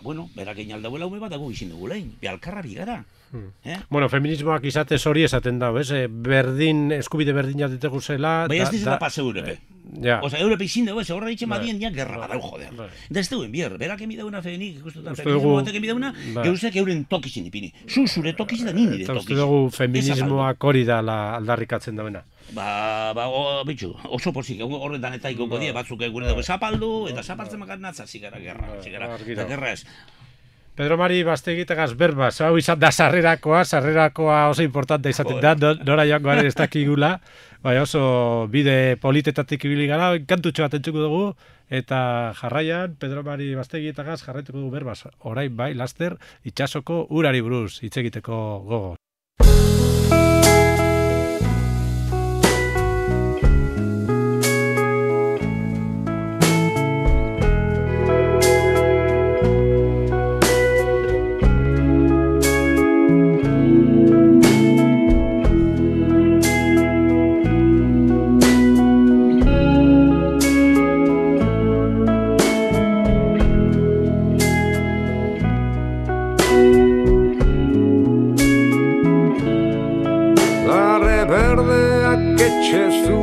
bueno, berak egin aldauela ume bat, dago izin dugu lehin, behalkarra bigara. Bueno, feminismoak izatez hori esaten dago, ez? Eskubide berdina ditegu zela... Bai ez dizela pase Europe. Osa, Europe izin dugu, horra ditzen badien, ja gerra badau, joder. Da ez duen bier, berak emidauna fenik, ikustutan feminismo batek emidauna, geuzek euren tokizin ipini. Zure tokizin da nire tokizin. Eta uste dugu feminismoak hori da aldarrikatzen dauena. Bitxu, oso pozik, horretan eta ikoko die, batzuk egure dugu zapaldu, eta zapaltzen makat natzazik gara gerra, eta gerra ez. Pedro Mari, Bastegitagaz berba, hau izan da sarrerakoa oso importante izaten da, nora joango garen ez dakigula, bai oso bide politetatik ibili gara, kantutxo bat entzuko dugu, eta jarraian, Pedro Mari Bastegitagaz jarraituko dugu berbaz, orain bai, laster, itsasoko urari buruz, hitz egiteko gogo.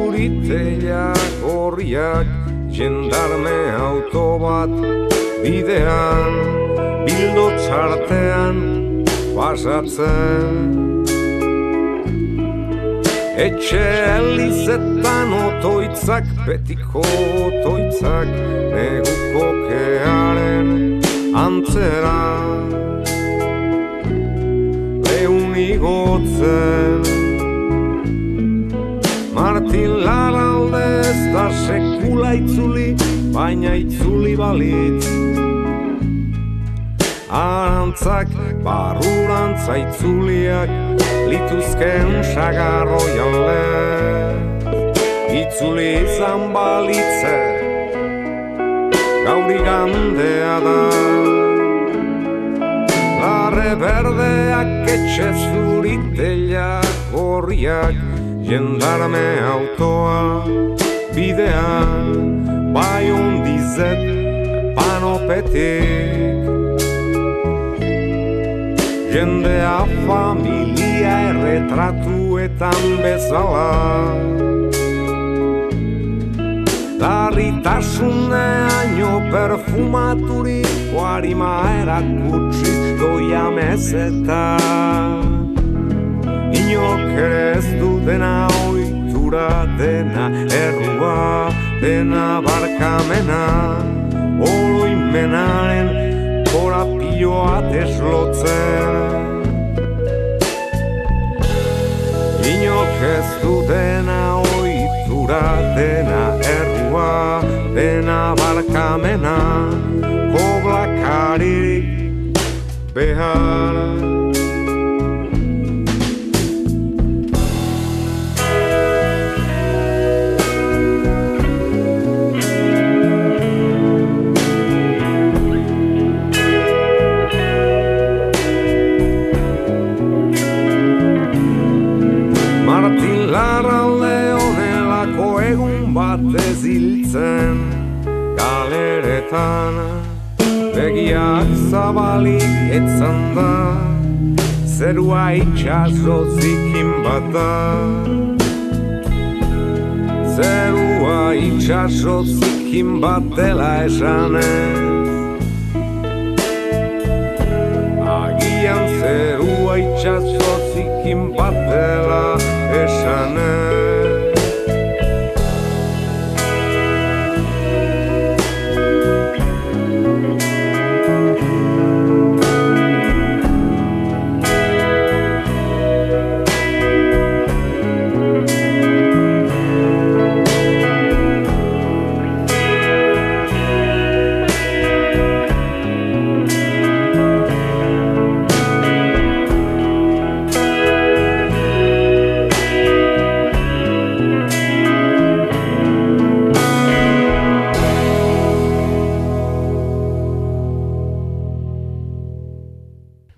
zuriteak horriak, jendarme auto bat bidean, bildo txartean pasatzen. Etxe elizetan otoitzak, betiko otoitzak, neguko kearen antzera lehun igotzen. Martin Larralde ez da sekula itzuli, baina itzuli balitz. Arantzak, barrurantza itzuliak, lituzken sagarroi alde. Itzuli izan balitze, gauri gandea da. Larre berdeak, etxe zuriteak horriak, jendarme autoa bidean, bai ondizet panopetik. Jendea familia erretratuetan bezala, larritasuneaino perfumaturiko harima erakutsiz doia mezetan. Inok ere ez du dena ohitura, dena errua, dena barkamena, oroimenaren korapioa deslotzen. Inok ez du dena ohitura, dena errua, dena barkamena, koblakaririk behar. Batez hiltzen galeretan, begiak zabalik etzan da, zerua itxaso zikin bat da. Zerua itxaso zikin bat dela esanez, agian zerua itxaso zikin bat dela esanez.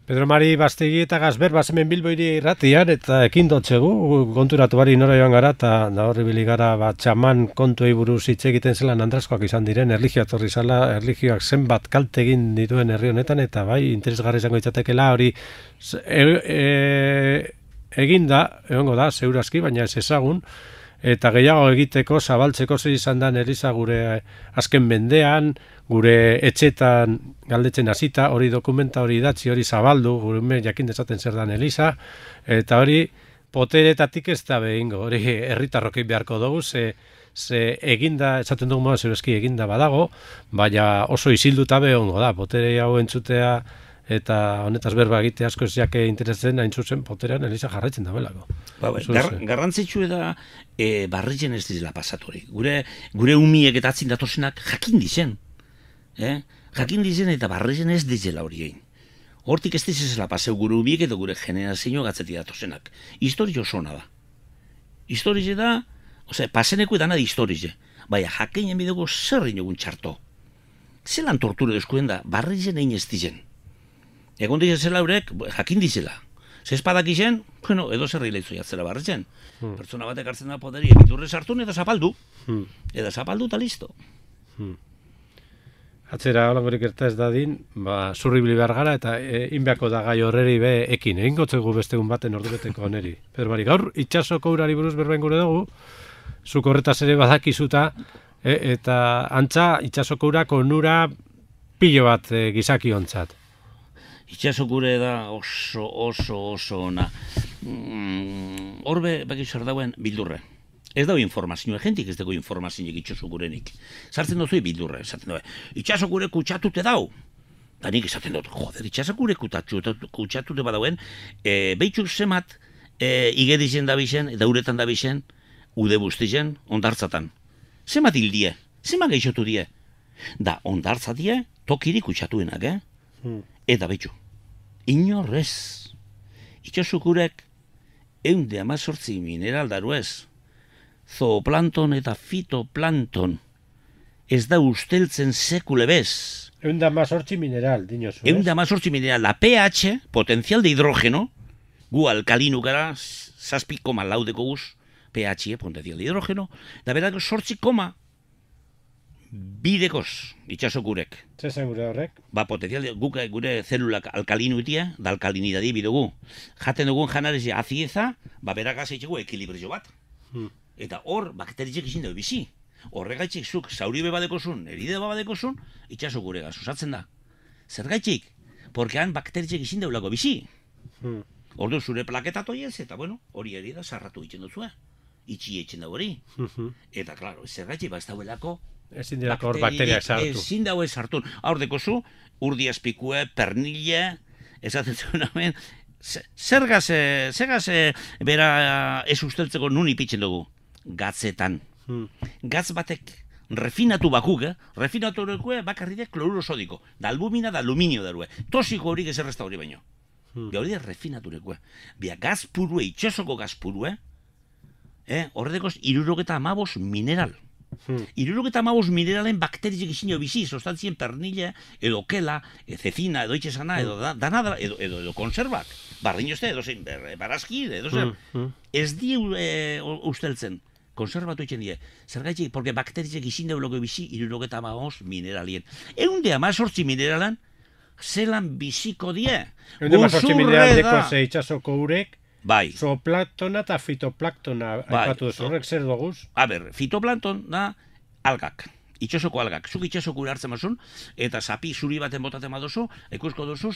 Pedro Mari Bastegi eta Gazber bazemen Bilboiri irratian eta ekin dotzegu, konturatu bari nora joan gara eta horri bili gara txaman kontuei buruz hitz egiten zelan andraskoak izan diren, erlijioa torri zala, erlijioak zenbat kalte egin dituen herri honetan eta bai, interesgarri izango itzatekela hori eginda, egongo da, zeurazki, baina ez ezagun, eta gehiago egiteko, zabaltzeko zer izan da Eliza gure azken mendean, gure etxetan galdetzen hasita, hori dokumenta, hori idatzi, hori zabaldu, gure jakin dezaten zer dan Eliza, eta hori poteretatik ez da behingo, hori herritarrokei beharko dugu, ze eginda, esaten dugu moda zeurazki eginda badago, baina oso isilduta behongo da, potere hau entzutea, eta honetaz berba egite asko ez jake interesen hain zuzen poterean Eliza jarraitzen da belako. Garrantzitsu da barritzen ez dizela pasatori. Gure umiek eta atzin datosenak jakin dizen. Jakin dizen eta barritzen ez dizela hori egin. Hortik ez dizela paseu gure umiek eta gure generazio gatzeti datosenak. Historio zona da. Historio da, paseneko edana da historio. Baina jakeinen bidego zer inogun txarto. Zelan torture eskuen da, barritzen egin ez dizen. Egon dizela horrek, jakin dizela. Zespadak izen, edo zerri lehitzu jatzera barretzen. Pertsona batek hartzen da poderi, egiturre sartun edo zapaldu. Edo zapaldu eta listo. Atzera holangorik erta ez dadin, zurribili behar gara eta inbeako da gai horreri be ekin. Egin gotzegu bestegun baten ordubeteko oneri. Pero bari, gaur itxasoko urari buruz berbain gure dugu, zuk horretaz ere badakizuta, eta antza itsasoko urak onura pilo bat gizakiontzat. Itxasokure da oso ona. Horbe, baki zer dauen, bildurre. Ez dago informazioa, jentik ez dago informazioa itxasokurenik. Sartzen dozui bildurre, esaten dago. Itxasokure kutsatute dau. Da nik esaten dut, joder, itxasokure kutsatute badauen, behitxuk zemat igedizen dabixen, eta uretan dabixen, ude bustizen, ondartzatan. Zemat hildie, zemat geixotu die. Da, ondartzatie, tokiri kutsatuenak, Eta behitxu, inorrez, itxasokurek 118 mineral daruez, zooplankton eta fitoplankton, ez da usteltzen sekule bez. 118 mineral, dinozu, 118 mineral, la pH, potencial de hidrógeno, gu alkalinu gara, 7,4 deko guz, pH, potencial de hidrógeno, da berak 8,2 dekoz, itxasokurek. Zezen gure horrek? Ba, potencial, guk gure zelulak alkalinu itia, da alkalinidadi bidugu. Jaten dugun janarezi azieza, ba, berak azeitxegu ekilibrio bat. Eta hor, bakteritzek izin dugu bizi. Horregaitxik zuk zauribe badekozun, eride badekozun, itxasokure osatzen da. Zergaitxik? Porque han bakteritzek izin dugu lako bizi. Ordu zure plaketatu ez, eta bueno, hori erida sarratu egiten duzu, itxi egiten dugu hori. Eta, klaro, zergaitxik, ba, ez dauelako ezin dirako hor bakteriak sartu. Ezin dago ez sartu. Hor dekozu, urdiazpikue, pernille, esaten zuen hemen, zergaz bera ez usteltzeko nun ipitzen dugu? Gatzetan. Gatz batek refinatu bakuk, refinatu horrekue bakarride kloruro sodiko. Da albumina da aluminio darue. Tosiko horik ez errezta hori baino. Hori da refinatu horrekue. Bia gaz purue, itxasoko gaz purue, horredekoz 75 mineral. 75 mineralen bakterizik izin jo bizi, zostantzien pernilla, edo kela, cecina, edo itxesana, edo danadra, edo konservak. Bardin jozte, edo zein, barazki, edo zer. Ez die usteltzen, konservatu itxen die. Zergaitxik, porque bakterizik izin deuloko bizi, 75 mineralien. 118 mineralan, zelan biziko die. 118 mineraldeko ze itxasoko urek, bai. Zooplaktona eta fitoplaktona aipatu duzu, horrek zer doguz? A ber, fitoplankton da algak, itxasoko algak. Zuk itxasoko ura hartzen mazun, eta zapi zuri baten botaten baduzu, ikusko duzuz,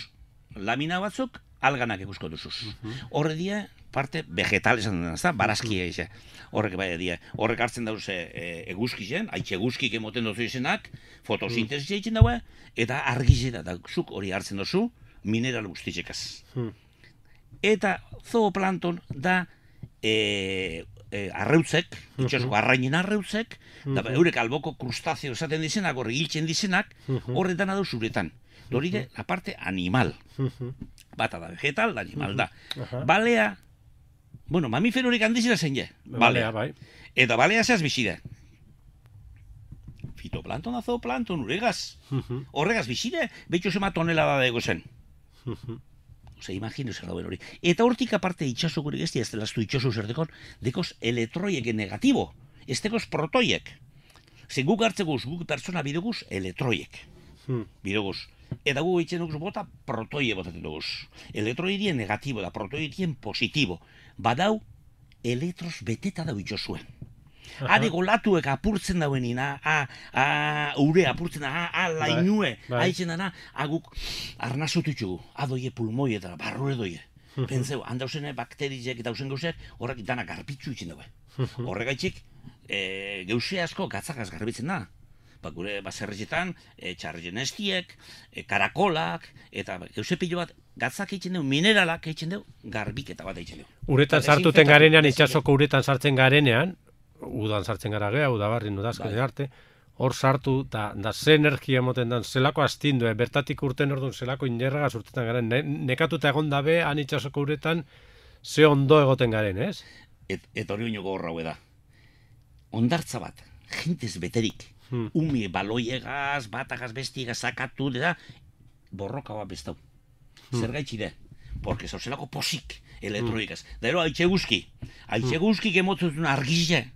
lamina batzuk, alganak ikusko duzuz. Horre die, parte vegetal esan dena, ezta? Barazkia eze. Horrek bai die. Horrek hartzen dauze eguzkizen, haitxe eguzkik emoten duzu izenak, fotosintesi egiten daue, eta argizeta, da zuk hori hartzen duzu, mineral guztitzekaz. Eta zooplankton da arreutzek, itxasoko arrainen arreutzek, da eurek alboko krustazio esaten dizenak, horre hiltzen dizenak, horretan adau zuretan. Hori de, la parte animal. Bata da vegetal, da animal da. Balea, bueno, mamiferorik handizera zen je. Balea, bai. Eta balea zehaz bizide. Fitoplankton da zooplankton, uregaz. Horregaz bizide, behitxo zema tonelada dago zen. Ose, imagino zer dauen hori. Eta hortik aparte itxasokurik ez delaztu itxaso zer dekoz elektroiek negatibo, ez dekoz protoiek. Zer guk hartzeguz, guk pertsona bideguz, elektroiek. Bideguz. Eta guk eitzen duguz bota protoie botaten duguz. Elektroidien negatibo da, protoidien positibo. Badau, elektros beteta dau itxosuen. Hade golatuek apurtzen dauenin, ure apurtzen da, lainue, haitzen dana, aguk arnazotutxugu, adoie pulmoi eta barrure doie. Pentseu, handauzene bakterizek eta hausen gauzek, horrek dana garbitzu itzen daue. Horregaitxik, geuse asko gatzakaz garbitzen da. Gure baserretxetan, txarretzen estiek, karakolak, eta geuse pilo bat gatzak eitzen dugu, mineralak eitzen dugu, garbiketa bat eitzen dugu. Uretan sartuten garenean, itxasoko uretan sartzen garenean, udan sartzen gara geha, udabarrin udazken arte, hor sartu, da ze energia moten dan, zelako astindu, bertatik urten orduan zelako inerragaz urtetan garen, nekatuta egon dabe, han itxasoko uretan, ze ondo egoten garen, ez? Eta hori oinoko horra da. Ondartza bat, jentez beterik, umi baloiegaz, batagaz, bestigaz, zakatu, da, borroka bat bestau. Zer gaitxide? Porque zauzelako posik, elektroikaz. Da ero, haitxe guzki emotetzun argize.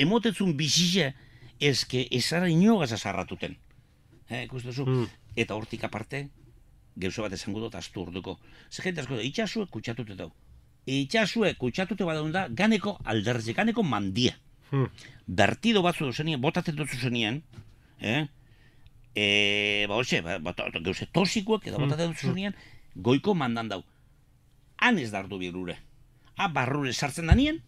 Emotetzun bizize, ezke ezara inogaz azarratuten. Ikustezu? Eta hortik aparte, gauza bat esango dut astu orduko. Zer jente asko da, itxasuek kutsatute dau. Itxasuek kutsatute badaun da, ganeko alderze, ganeko mandia. Bertido batzu duzenien, botatzen duzu zenien, gauze tosikoak eta botatzen duzu zenien, goiko mandan dau. Han ez dardu birrure. Barrure sartzen da nien,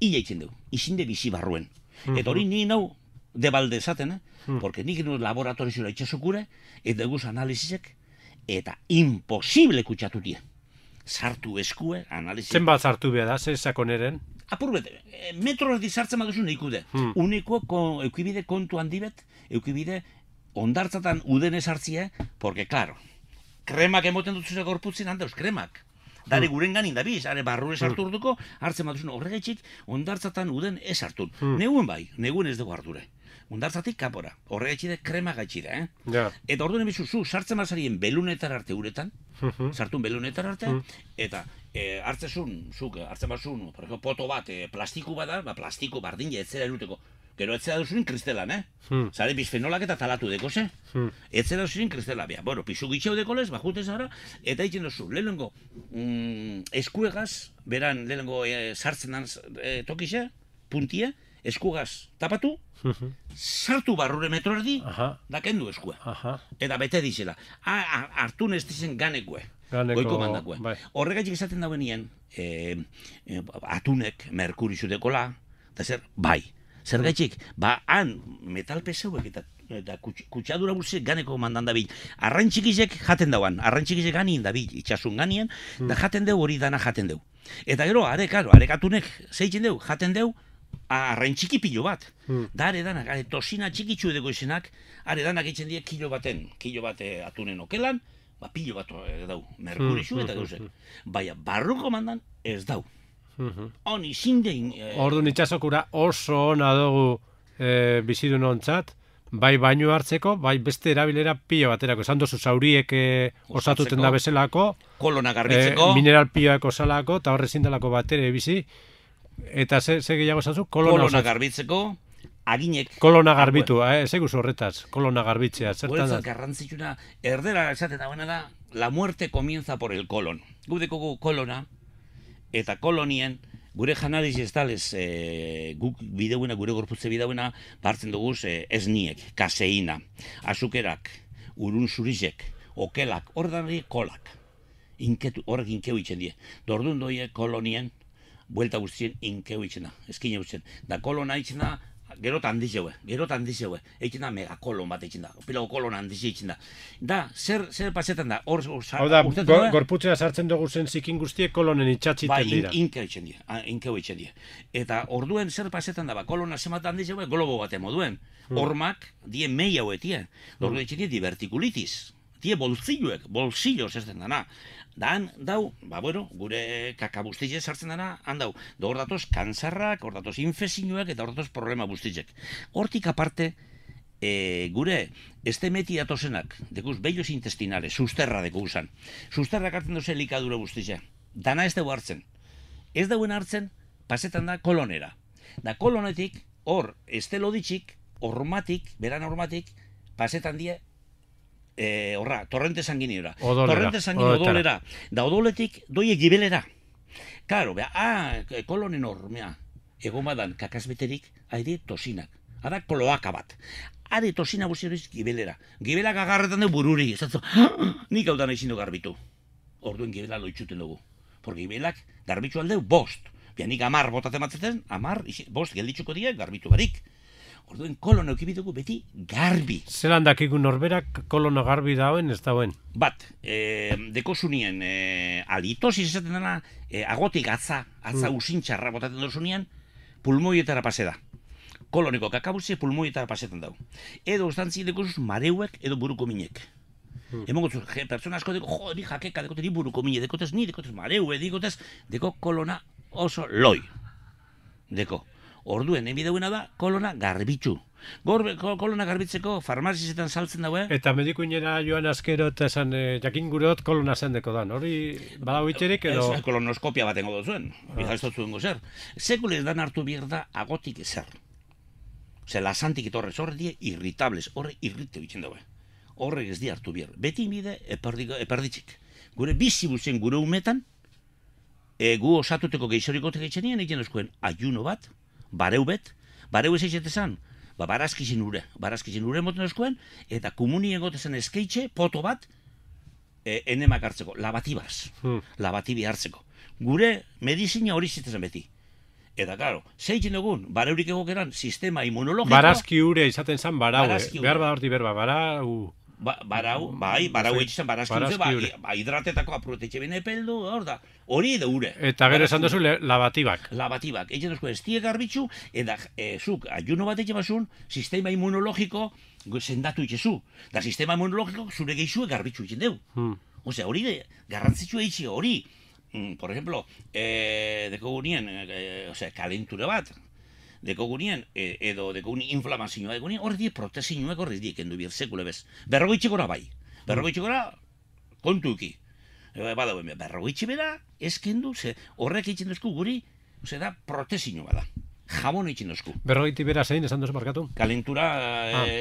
ila itzen dugu. Izinde bizi barruen. Eta hori ni nau debalde esaten, porque nik nu laboratorizura itxasokure, eta guz analizisek, eta imposible kutsatutie. Sartu eskue, analizisek. Zenbat sartu behar da, ze sakoneren? Apur bete, metro erdi sartzen baduzu neikude. Uneko eukibide kontu handibet, eukibide ondartzatan uden esartzia, porque, claro, kremak emoten dutuzue gorputzin handauz, kremak. Dare guren ganin da biz, are barrure sartu urduko, hartzen baduzun horregaitxik, ondartzatan uden ez hartun. Negun bai, negun ez dugu harture. Ondartzatik kapora, horregaitxide krema gaitxide, Ja. Eta orduan ebizu, sartzen bazarien belunetar arte uretan, sartun belunetar arte, eta hartzen bazun, por ejemplo, poto bat, plastiku bat da, plastiko bardin etzera eruteko. Gero etzera duzurin kristelan, Zare bisfenolak eta talatu deko, Etzera duzurin kristela, pisu gitxeu dekolez, bajute zara, eta egiten duzu, lehenengo eskuegaz, beran lehenengo sartzen dan tokixe, puntie, eskuegaz tapatu, sartu barrure metro erdi, da kendu eskue. Eta bete dizela. Hartun ez dizen ganekue. Goiko mandakue. Horregatik esaten dauenien, atunek, merkurizu dekola, eta zer, bai. Zergaitxik, han metal peseuek eta kutsadura guztiek ganeko mandan dabil. Arraintxikizek jaten dauan, arraintxikizek ganien dabil, itxasun ganien, da jaten deu hori dana jaten deu. Eta gero, arekatunek zeitzen deu, jaten deu, arraintxiki pilo bat. Da are danak, tosina txikitsu edeko izenak, are danak eitzen die kilo bat atunen okelan, pilo bat dau, merkurizu eta gauzek. Baina, barruko mandan ez dau. Honi zindein... Orduan itxasokura oso ona dugu bizidun ontzat, bai baino hartzeko, bai beste erabilera pilo baterako. Esan dozu zauriek osatuten da bezalako, kolona garbitzeko, mineral piloak osalako, eta horre zindalako batere bizi, eta ze gehiago esan zu? Kolona garbitzeko, aginek... Kolona garbitu, ze guzu horretaz, kolona garbitzea, zertan da? Guretzat garrantzitsuna, erdera esaten dagoena da, la muerte comienza por el colon. Gudeko kolona, eta kolonien, gure janariz ez talez, guk bideuena, gure gorputze bideuena, bartzen duguz esniek, kaseina, azukerak, urun zurizek, okelak, ordanari kolak. Horrek inkeu itxen die. Dordun doie kolonien, buelta guztien inkeu itxena, eskine guztien. Da kolona itxena, gerot handizeue, eitzen da megakolon bat eitzen da, pilago kolon handize eitzen da. Da, zer pasetan da, hau da, gorputzea sartzen dugu zen zikin guztiek kolonen itxatziten dira. Bai, inkeu eitzen die. Eta orduen zer pasetan da, kolona zemat handizeue, globo bat emoduen. Hormak, die mei hauetie, orduen eitzen die divertikulitis. Die bolsillos ez den dana. Dan, dau, gure kakabustizek sartzen dana, han dau. Hor datoz kantzarrak, hor datoz infezioak eta hor datoz problema bustizek. Hortik aparte, gure estemeti datozenak, dekuz, bellos intestinales, susterra deku usan. Susterrak hartzen doze elikadura bustizek. Dana ez dugu hartzen. Ez dauen hartzen, pasetan da kolonera. Da kolonetik, hor, esteloditxik, beran hormatik, pasetan die, torrente sanguiniora. Torrente sanguinio odolera. Da odoletik doie gibelera. Karo, kolonen hor, egon badan kakasbeterik, haide tosinak. Hada kloaka bat. Hade tosina guztioriz gibelera. Gibelak agarretan du bururi. Nik hau dana izin du garbitu. Orduen gibela loitxuten dugu. Por gibelak garbitu aldeu bost. Nik 10 botatzen batzaten, 10, bost gelditzuko die garbitu barik. Orduen kolona eukibidugu beti garbi. Zelan dakikun norberak kolona garbi dauen ez dauen? Bat, deko zunien, alitosis esaten dena, agotik atza usintxarra botaten dozunien, pulmoietara pase da. Koloniko kakabutze pulmoietara pasetan dau. Edo ustantzi deko zuz mareuek edo buruko minek. Emongo zuz, pertsona asko deko, ni jakeka dekote, ni buruko mine, dekotez mareue, deko kolona oso loi. Deko. Orduen, enbideuena da, kolona garbitzu. Kolona garbitzeko farmazizetan saltzen daue. Eta medikuinera joan askero eta esan jakin gurot kolona zendeko dan. Hori badago itxerik edo... Ez kolonoskopia batengo duzuen. Bizaz dut zer. Sekule ez dan hartu behar da agotik ezer. Lasantik etorrez horre die irritables. Horre irrite bitzen daue. Horrek ez di hartu behar. Beti bide eperditzik. Gure bizi buzen gure umetan, gu osatuteko geixorikotek etxenien egiten duzkoen ayuno bat, bareubet, bareu ez eizetezan, barazkizin ure moten oskoen, eta komunien gotezen eskeitxe, poto bat, enemak hartzeko, labatibi hartzeko. Gure medizina hori zitezen beti. Eta, claro, zeitzen dugun, bareurik egokeran, sistema immunologikoa... Barazki ure izaten zan barau, behar badorti berba, barau... Barau egiten barazki ure, hidratetako aprotetxe bine peldu, hori edo ure. Eta gero esan duzu labatibak. Labatibak, egiten duzko estie garbitzu, eta zuk, ayuno bat egin basun, sistema immunologiko sendatu itxezu. Da sistema immunologiko zure geixue garbitzu egin deu. Osea, hori garrantzitsua itxi, hori... Por ejemplo, dekogunien, kalentura bat, dekogunien, edo dekogunien inflamazioa dekogunien, horri die protesinuak horri die kendu bir sekule bez. Berrogeitxe gora bai. Berrogeitxe gora kontuki. Badauen, berrogeitxe bera ez kendu, horrek egiten duzku guri, da protesinua da. Jabon egiten duzku. Berrogeiti bera zein esan duzu markatu? Kalentura,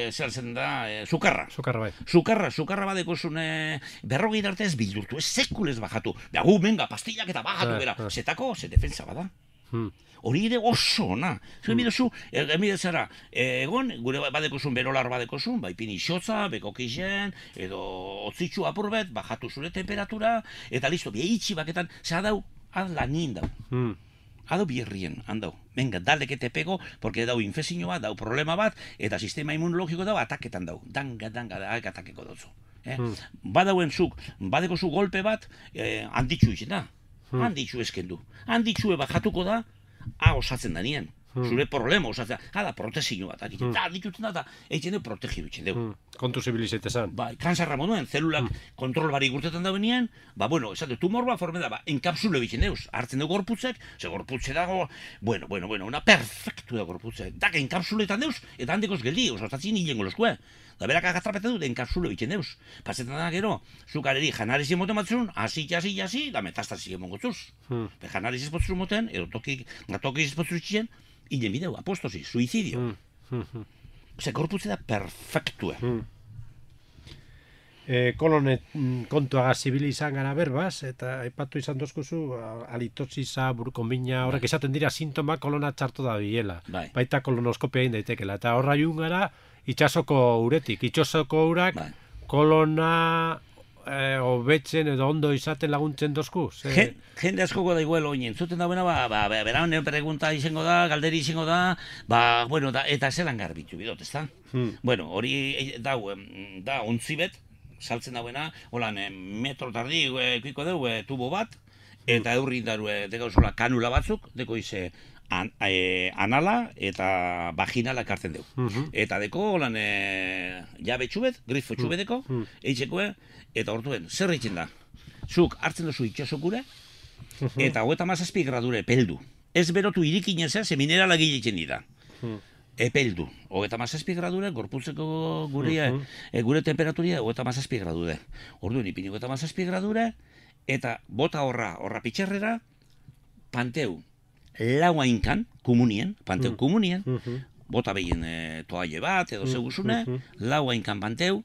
zer zen da, sukarra. Sukarra bai. Sukarra badekozun berrogei arte ez bildurtu, ez sekulez bajatu. Gu, menga, pastillak eta bajatu bera. Zetako, ze defensa bada. Hori ere oso, na. Zuen bidezu, emidezara, egon, gure badekozun, berolar badekozun, bai pini xotza, bekokixen, edo otzitzu apurbet, bajatu zure temperatura, eta listo, behitxi baketan, zera dau, lanin dau. Ado bierrien, handau. Venga, dalekete pego, porque dau infezioa, dau problema bat, eta sistema immunologiko dau ataketan dau. Danga, atakeko dutzu. Badauen zuk, badeko zu golpe bat, handitxu izan da. Handitxu eskendu. Handitxue bajatuko da, osatzen da nien. Zure problema osatzen da. Hala, protesio bat. Handitxutzen da, egiten du protegidu itxen dugu. Kontu zibilizatezan. Kansarra moduen, zelulak kontrol bari gurtetan da benien, esate, tumor bat forme da, enkapsule bitzen deuz. Hartzen dugu gorputzek, ze gorputze dago, bueno, una perfectu da gorputzek. Dak, enkapsuletan deuz, eta handikoz geldi, osatzen hilengo loskue. Da berak agatrapetan dut, enkapsule bitzen deuz. Pasetan da gero, zukareri janarizi moten batzun, hasi, da metastasi emongotzuz. Janarizi espotzun moten, edo toki espotzun itxien, hilen bideu, apostosi, suizidio. Gorputze da perfektue. Kolonet kontuaga zibil izan gara berbaz, eta aipatu izan dozkuzu, alitotziza, burukonbina, horrek esaten dira sintoma kolona txartu da bilela. Baita kolonoskopia egin daitekela. Eta horra jun gara, itxasoko uretik. Itxasoko urak kolona hobetzen edo ondo izaten laguntzen dozku? Jende askoko da igual oinen. Zuten da buena, beraun pregunta izango da, galderi izango da, eta zelan garbitu bidot, ez da? Bueno, hori da ontzibet, saltzen da buena, holan metro tardi ekuiko dugu tubo bat, eta eurri daru dekauzola kanula batzuk, deko ize anala eta vaginala kartzen dugu. Eta deko holan jabe txubet, grifo txubeteko, eitzekoe, eta hortuen, zer egiten da? Zuk hartzen duzu itxasokure, eta 37 gradure peldu. Ez berotu irikin ezea, ze minerala egiten dira. Epeldu. 37 gradure, gorputzeko gure temperaturia, 37 gradure. Orduan, ipini 37 gradure, eta bota horra pitxerrera, panteu laua inkan, komunien, panteu komunien, bota behien toalle bat, edo zeguzune, laua inkan panteu,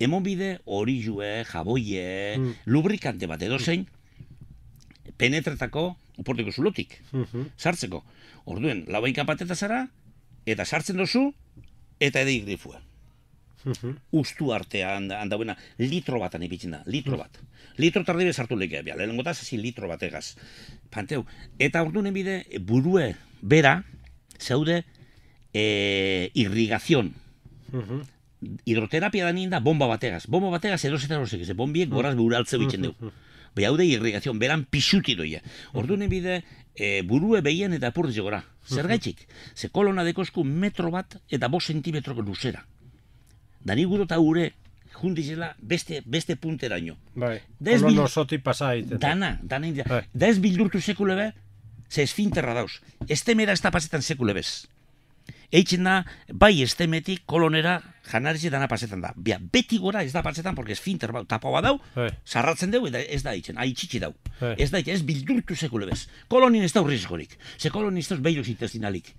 emon bide hori jue, jaboie, lubrikante bat edo zein, penetretako uporteko zulotik, sartzeko. Orduen, laua inkan panteta zara, eta sartzen dozu, eta edeik grifua. Ustu artea handauena, litro bat anipitzen da, litro bat. Litro tardibe sartu lekea, lehenengo da, zazin litro bat egaz. Panteu, eta ordunen bide, burue bera, zaude, irrigazion. Hidroterapia da nien da, bomba bategaz. Bomba bategaz erosetan horrezek, ze bombiek goraz buraltze bitzen dugu. Beha haude irrigazion, beran pisuti doia. Ordunen bide, burue behien eta apurdiz gora. Zer gaitxik? Ze kolona dekozku metro bat eta 5 zentimetroko luzera. Dani guro eta ure jundizela beste punteraino. Kolono zoti pasa egiten. Dana india. Da ez bildurtu sekule be, ze esfinterra dauz. Estemera ez da pasetan sekule bez. Eitzen da, bai estemetik kolonera janarizi dana pasetan da. Beti gora ez da pasetan, porque esfinter bau, tapoa dau, sarratzen dugu, eta ez da eitzen, haitxitsi dau. Ez da eitzen, ez bildurtu sekule bez. Kolonin ez da urrizgorik. Ze kolonin ez da behiloz intestinalik.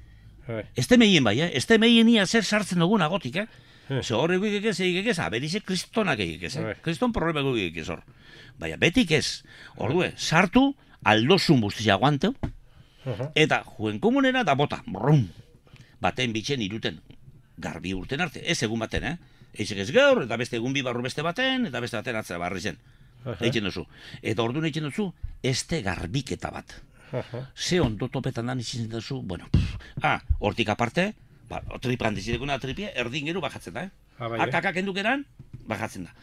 Estemeien bai, estemeien ia zer sartzen dugun agotik, Ze horrek egekez, aberize kristonak egekez, kriston problema egekez hor. Baina, betik ez, ordue, sartu, aldozun buztizia aguanteu, eta juen komunera da bota, brum. baten bitzen iruten, garbi urten arte, ez egun baten, Eitzek ez gaur, eta beste egun bi barru beste baten, eta beste baten atzera barri zen. Eitzen duzu. Eta orduan eitzen duzu, este garbiketa bat. Ze ondo topetan dan izin duzu, bueno, hortik aparte, tripan dizidekuna tripia, erdin gero bajatzen da, Akakak endukeran, bajatzen da.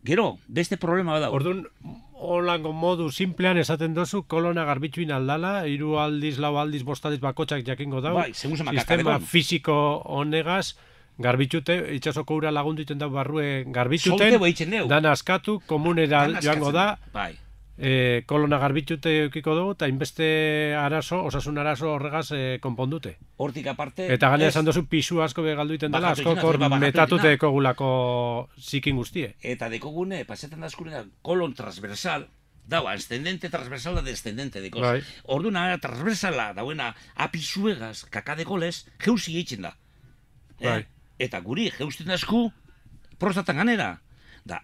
Gero, beste problema bada. Orduan, holango modu simplean esaten dozu, kolona garbitxuin aldala, 3 aldiz, 4 aldiz, 5 aldiz bakotxak jakingo dau. Bai, sistema fisiko honegaz, garbitxute, itxasoko ura lagundu iten dau barrue garbitxuten, dana askatu, komunera joango da, kolona garbitxute eukiko dugu, eta inbeste arazo, osasun arazo horregaz konpondute. Hortik aparte... Eta gane esan duzu pisu asko begaldu iten dela, asko metatute dekogulako zikin guztie. Eta dekogune, pasetan da askure da, kolon transversal, dau, ascendente transversal da descendente dekoz. Orduna, transversala, dauena, apisuegaz, kakadekolez, jeuzi eitzen da. Eta guri, jeusten dasku, prostatan ganera. Da,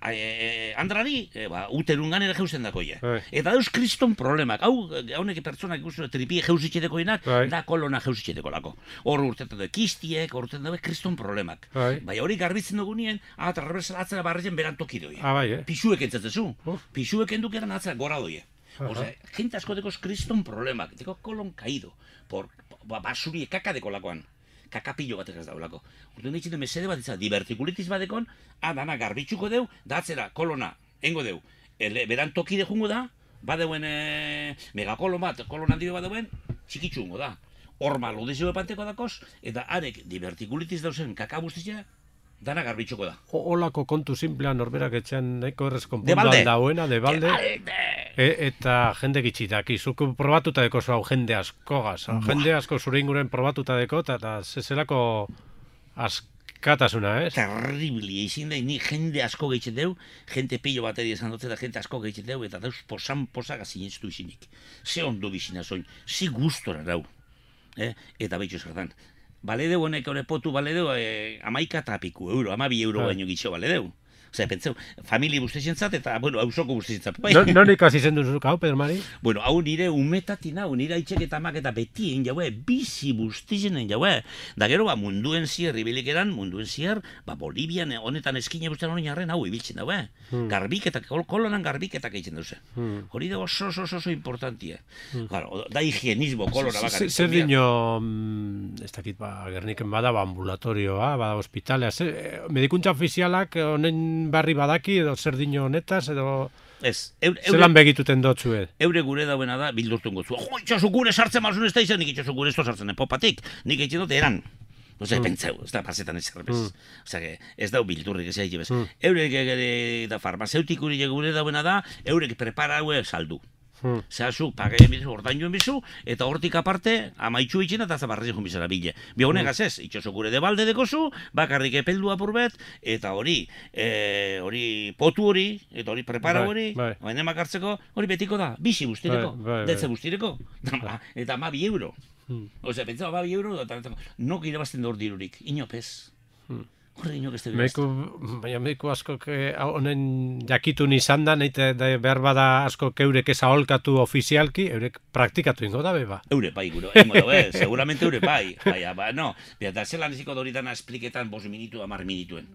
andrari, uterun ganera jeusten dakoie. Eta dauz kriston problemak. Haunek pertsonak ikusten tripie jeuzitxetekoinak, da kolona jeuzitxetekolako. Hor urtetan dugu kistiek, hor urtetan dugu kriston problemak. Bai, hori garbitzen dugu nien, transversal atzera barrezen berantoki doie. Pisuek entzatezu. Pisuek endukeran atzera gora doie. Osea, gente asko dekoz kriston problemak. Deko kolon kaido. Basuri kakadekolakoan. Kakapillo batek ez daulako. Urte nintzen du mesede bat izan, divertikulitis badekon, dana garbitxuko deu, da atzera, kolona, engo deu. Beran tokide jungo da, badeuen megakolon bat, kolon handi badeuen, txikitxu jungo da. Horma lodizio epanteko dakoz, eta arek divertikulitis dauzen kakabustizia, dana garbitxuko da. Olako kontu simplean norberak etxean nahiko errez konpuntuan dauena, de balde. Eta jende gitxitak, izuko probatuta deko hau jende askogaz. Jende asko zure inguren probatuta deko, eta zezelako askatasuna, ez? Terribili, izin da, ni jende asko gehitzen deu, jente pillo bateri esan dut, eta jente asko gehitzen deu, eta dauz posan-posak azineztu izinik. Ze ondo bizina zoin, ze gustora rau. Eta behitxo zertan. Baledeu honek hori potu, baledeu 11 eta piku euro, 12 euro baino gitxo baledeu. Osea, pentseu, familia guztientzat eta, bueno, hausoko guztientzat. Non ikasi zen duzu, hau, Pedro Mari? Bueno, hau nire umetatin hau, nire aitzek eta amak eta betien jaue, bizi guztienen jaue. Da gero, munduen zier, ibilikeran, munduen zier, Bolivian honetan eskine guztien hori jarren hau ibiltzen daue. Garbiketak, kolonan garbiketak egiten duze. Hori da oso importantia. Da higienismo kolona bakarrik. Zer dino, ez dakit, Gerniken bada, ambulatorioa, bada hospitalea, medikuntza ofizialak honen barri badaki edo zer dino honetaz edo zelan begituten dotzu Eure gure dauena da bildurtun gotzu. Jo, itxasu gure sartzen mazun ez da izan, nik itxasu gure ez da sartzen popatik, nik egiten dut eran. Osea, pentseu, ez da pasetan ez zerbez. Osea, ez dau bildurrik ez egin bez. Eurek da farmazeutikuri gure dauena da, eurek prepara haue saldu. Zehazu, pagaien bizu, ordain joan bizu, eta hortik aparte, amaitxu itxena eta zabarrezi joan bizara bile. Bionegaz ez, itxoso gure de balde dekozu, bakarrik epeldu apurbet, eta hori potu hori, eta hori prepara hori, baina makartzeko, hori betiko da, bizi guztireko, detze guztireko, eta 12 euro. Osea, pentsau, 12 euro, nok irabazten da hor dirurik, inopez. Horre inok ez da baina mediku asko honen jakitun izan da, behar bada asko eurek ez aholkatu ofizialki, eurek praktikatu ingo da, beba? Eure bai, guro, ingo da, seguramente eure bai. Baina, no, eta zelan eziko doritan espliketan 5 minutu, 10 minituen.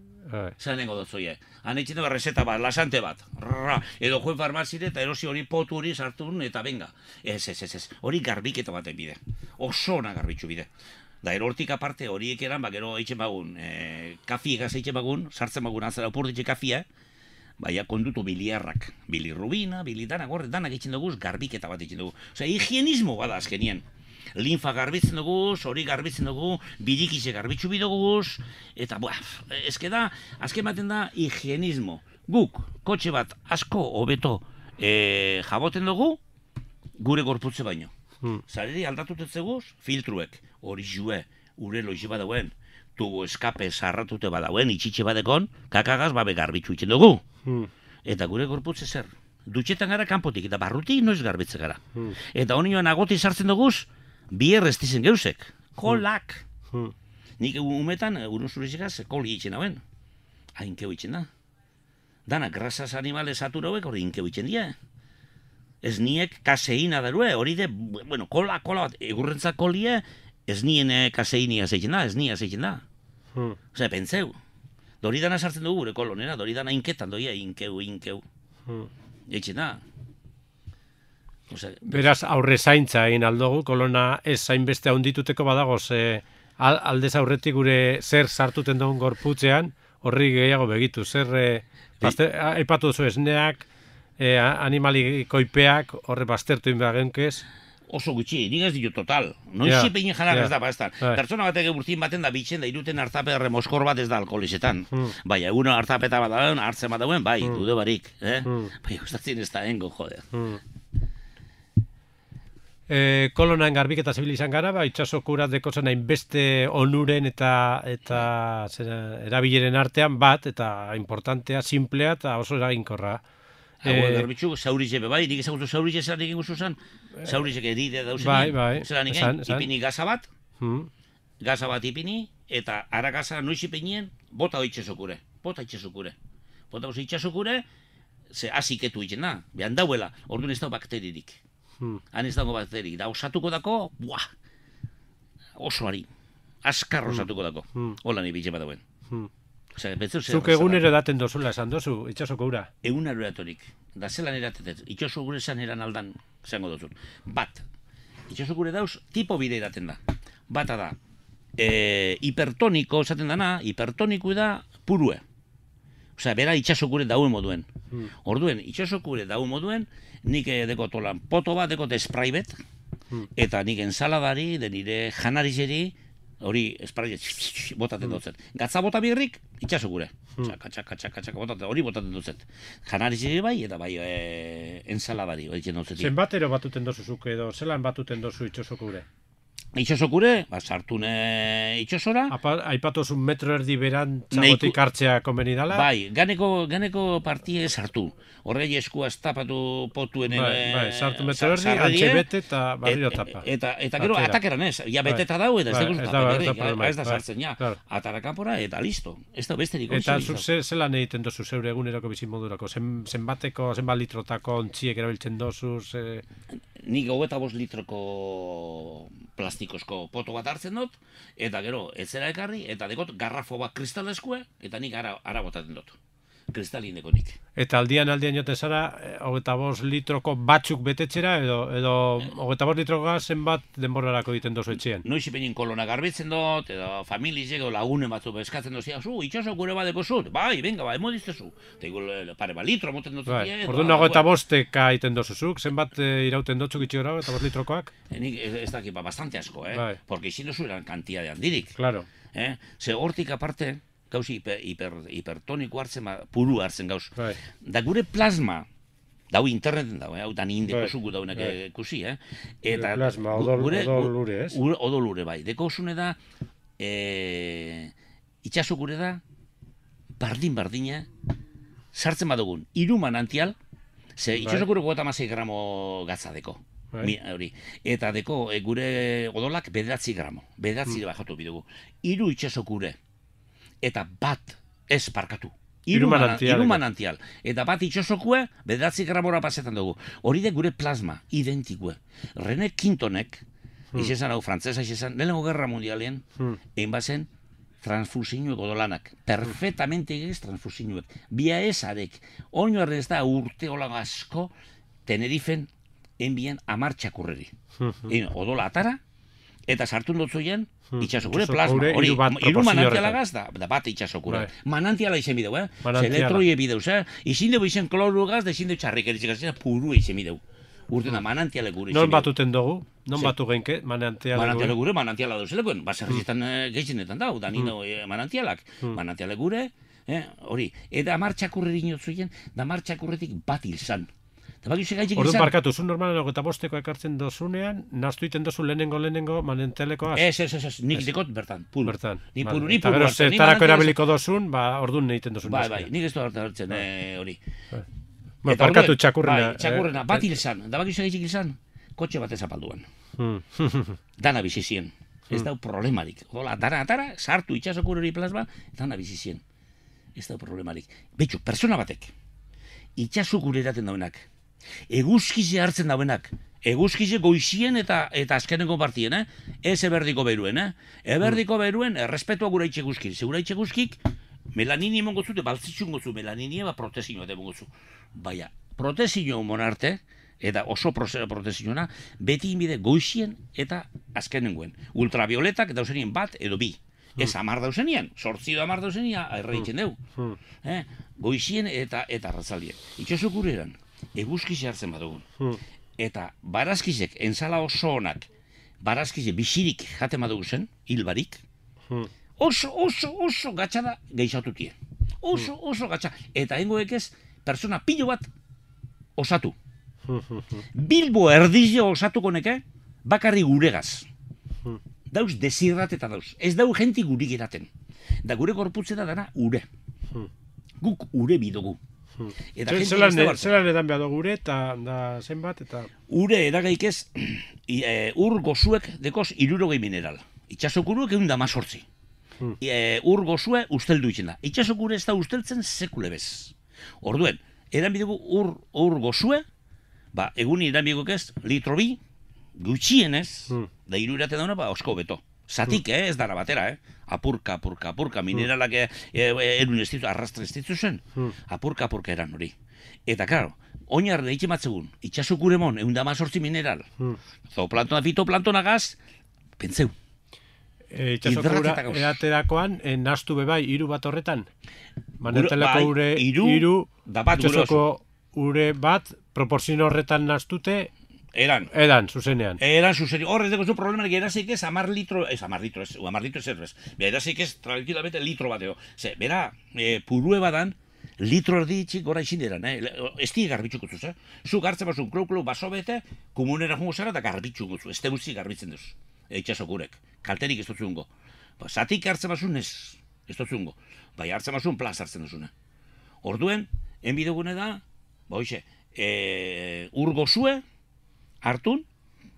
Zelan nengo dutzoie. Han eitzen dago reseta bat, lasante bat. Edo joen farmazire eta erosi hori potu hori sartu eta venga. Ez. Hori garbiketa baten bide. Oso ona garbitxu bide. Da, erortik aparte horiek eran, gero eitzen bagun, kafi egaz eitzen bagun, sartzen bagun atzera opurditxe kafia, baina kondutu biliarrak, bilirrubina, bilidana, gorre, danak eitzen duguz, garbiketa bat eitzen dugu. Osea, higienismo bada azkenien. Linfa garbitzen dugu, hori garbitzen dugu, birikize garbitzu bidoguz, eta, ezke da, azken baten da, higienismo. Guk, kotxe bat asko hobeto jaboten dugu, gure gorputze baino. Zareri aldatutet zeguz, filtruek, hori jue, ure loize badauen, tubo eskape sarratute badauen, itxitxe badekon, kakagaz babe garbitzu itzen dugu. Eta gure gorputze zer, dutxetan gara kanpotik, eta barrutik noiz garbitze gara. Eta honi joan agoti sartzen duguz, bier ez dizen geusek, kolak. Nik umetan, urun zurizikaz, koli itzen hauen. Hainkeu itzen da. Dana, grasas animales saturauek hori hinkeu itzen die. Ez niek kaseina darue, hori de, bueno, kola bat, egurrentza kolie, ez nien kaseinia zeitzen da, ez nia zeitzen da. Osea, pentseu. Doridana sartzen dugu gure kolonera, doridana inketan doia, inkeu. Eitzen da. Beraz, aurre zaintza egin aldogu, kolona ez zainbeste haundituteko badago, aldez aurretik gure zer sartuten dugun gorputzean, horri gehiago begitu, zer aipatu duzu esneak, animalikoipeak, horre baztertu inbagenkez. Oso gutxi, nik ez ditu total. Noiz peinen janak ez da, bastan. Pertsona batek urtin baten da bitxen da iruten hartaperre moskor bat ez da alkoholizetan. Bai, egun hartapeta bat dauen, hartzen bat dauen, bai, dude barik. Bai, gustatzen ez da engo, joder. Kolonaen garbiketa zibil izan gara, itxasokura dekozen hainbeste onuren eta erabileren artean bat, eta importantea, simplea eta oso eraginkorra. Garbitzu, zaurize bai, nik ezagutu zaurize zelan egin guzu zen, zaurizek eride dauzen, zelan egin, ipini gaza bat ipini, eta ara gaza noiz ipinien, bota itxasokure. Bota itxasokure, ze aziketu egiten da, behan dauela, orduan ez da bakteririk. Han ez dago bakterik, da osatuko dako, oso ari, askar osatuko dako, hola nahi bitxe bat dauen. Zuk egunero daten dozula esan dozu, itxasoko ura? Egunero eratorik, da zelan eratetet, itxasoko gure esan eran aldan, zango dozun. Bat, itxasoko gure dauz, tipo bide eraten da. Bata da, hipertoniko esaten dana, hipertoniku da purue. Osea, bera itxasoko gure dauen moduen. Orduen, itxasoko gure dauen moduen, nik dekot olan poto bat, dekot esprai bet, eta nik ensaladari, de nire janarizeri, hori esprai botaten dutzen. Gatza bota birrik, itxasoko gure. Txaka, botaten, hori botaten dutzen. Janarizeri bai, eta bai ensaladari, hori zen dutzen. Zenbatero batuten dozuzuk edo, zelan batuten dozu itxasoko gure? Itxasokure, sartune itxasora. Aipatuzun metro erdi beran txagotik hartzea konbeni dala? Bai, ganeko partie sartu. Horrei eskua estapatu potuen... Bai, sartu metro erdi, antxe bete eta barriro tapa. Eta gero atakeran ez, ja beteta dau eta ez da sartzen, ja. Atarakapora eta listo. Ez da besterik onzi. Eta zuk zelan egiten dozu zeure egunerako bizimodurako? Zenbat litrotako ontziek erabiltzen dozu? Nik 25 litroko plastikozko poto bat hartzen dut, eta gero, etzera ekarri, eta dekot garrafo bat kristaleskue, eta nik ara botaten dut. Kristalin deko nik. Eta aldian joten zara, 25 litroko batzuk betetxera, edo 25 litroka zenbat denborarako egiten dozu etxean? Noiz ipenin kolona garbitzen dut, edo familizek, lagunen batzu eskatzen dozia, itxasok gure badeko zut, bai, venga, bai, modiztezu. Eta pare litro moten dut. Orduan 25 egiten dozuzuk, zenbat irauten dotzuk itxi gara, 25 litrokoak? Nik ez dakit, bastante asko, porque izin dozu eran kantia de handirik. Claro. Ze hortik aparte, gauzi hipertoniko hartzen, puru hartzen gauz. Da gure plasma, dau interneten dau, hau da nindeko zugu daunak ikusi, Eta plasma, odolure, ez? Odolure, bai. Deko osune da, itxasok gure da, bardina, sartzen badugun, 3 manantial, ze itxasok gure 56 gramo gatza deko. Eta deko gure odolak 9 gramo, 9 bajatu bidugu. 3 itxasok gure. Eta bat ez parkatu. 3 manantial. Eta bat itxosokue, 9 gramora pasetan dugu. Hori de gure plasma, identikue. René Quintonek, izan hau frantzesa, lehenengo gerra mundialien, egin bazen transfusinuek odolanak. Perfectamente egez transfusinuek. Bia ezarek. Oino errez da urte hola asko, Tenerifen, enbien 10 txakurreri. Odola atara, eta sartu dutzuien, itxasokure plasma. Hori, 3 manantiala gaz da bat itxasokure. Manantiala izen bideu, Elektroie bideu, izin dugu izen kloru gaz, da izin dugu txarrik erizikazien, puru izen bideu. Urtena, manantiale gure izen bideu. Non batuten dugu? Non batu genke, manantiale gure? Manantiala duzelekoen, baserrizetan gehitzenetan dau, danino manantialak. Manantiale gure, hori. Eta 10 txakurreri inotzuien, da 10 txakurretik bat hilzan. Orduan parkatu, zu normalen 25 ekartzen dozunean, naztu iten dozu lehenengo manantialekoaz? Ez, nik dekot bertan, puru. Bertan. Ni puru eta gero zertarako erabiliko dozun, orduan egiten dozun. Bai, nik ez du hartzen hori. Parkatu txakurrena. Txakurrena, bat hilzan, da bakizu egitzik hilzan, kotxe bat ezapalduan. Dana bizizien, ez dau problemarik. Ola, dara, sartu itxasok hori plasma, dana bizizien. Ez dau problemarik. Betxu, persona batek, itxasok hori eraten dauenak, eguzkize hartzen dauenak, eguzkize goizien eta azkeneko partien, ez eberdiko beruen, eberdiko beruen, errespetua gura itxe guzkik, segura itxe guzkik, melanini emongo zu, baltzitxun gozu melanini, protezioa emongo zu. Baina, protezio monarte, eta oso protezioa, beti inbide goizien eta azkenengoen. Ultravioletak dauzenien bat edo bi. Ez 10 dauzenien, 8 edo 10 dauzenia, erreitzen dugu. Goizien eta arratzaldien. Itxasok gureran, eguzkize hartzen badugun. Eta barazkizek, enzala oso onak, barazkizek bisirik jaten badugu zen, hilbarik, oso gatxada geixatutie. Oso gatxada. Eta hengoek ez, persona pilo bat osatu. Bilbo erdizio osatuko neke, bakarri guregaz. Dauz desirrateta dauz. Ez dau jenti gurik eraten. Da gure gorputzeta dana ure. Guk ure bidugu. Zeran edan behar gure eta zenbat eta... Ure edagaik ez, ur gozuek dekoz 60 mineral. Itxasokuruek 118. Ur gozue usteldu itzen da. Itxasokure ez da usteltzen sekule bez. Orduen, edan bidugu ur gozue, egun edan biduguk ez, litro bi, gutxienez, da 3 irate dauna, osko beto. Zatik, ez dara batera, apurka, mineralak erun ez ditu, arrastra ez ditu zen, apurka eran hori. Eta, klaro, oinar deitxe matzegun, itxasukuremon, 118 mineral, zooplantona, fitoplantona pentseu. Itxasokura eraterakoan, nastu bebai, 3 bat horretan? Manetelako ure, 3, itxasoko ure bat, proporzio horretan nastute, Eran, zuzenean. Horrez dugu zu problemarik erazik ez 10 litro, ez 10 litro ez erbez. Erazik ez tranquilamente litro bateo. Bera, purue badan, litro erdi itxik gora izin eran, ez di garbitxuko zuz, Zu gartzen bazun klau baso bete, komunera jungo zara eta garbitxuko zu, ez te guzti garbitzen duz, itxasokurek, kalterik ez duzungo. Zatik hartzen bazun ez duzungo, bai hartzen bazun plaz hartzen duzune. Orduen, enbidegune da, ur gozue, hartun,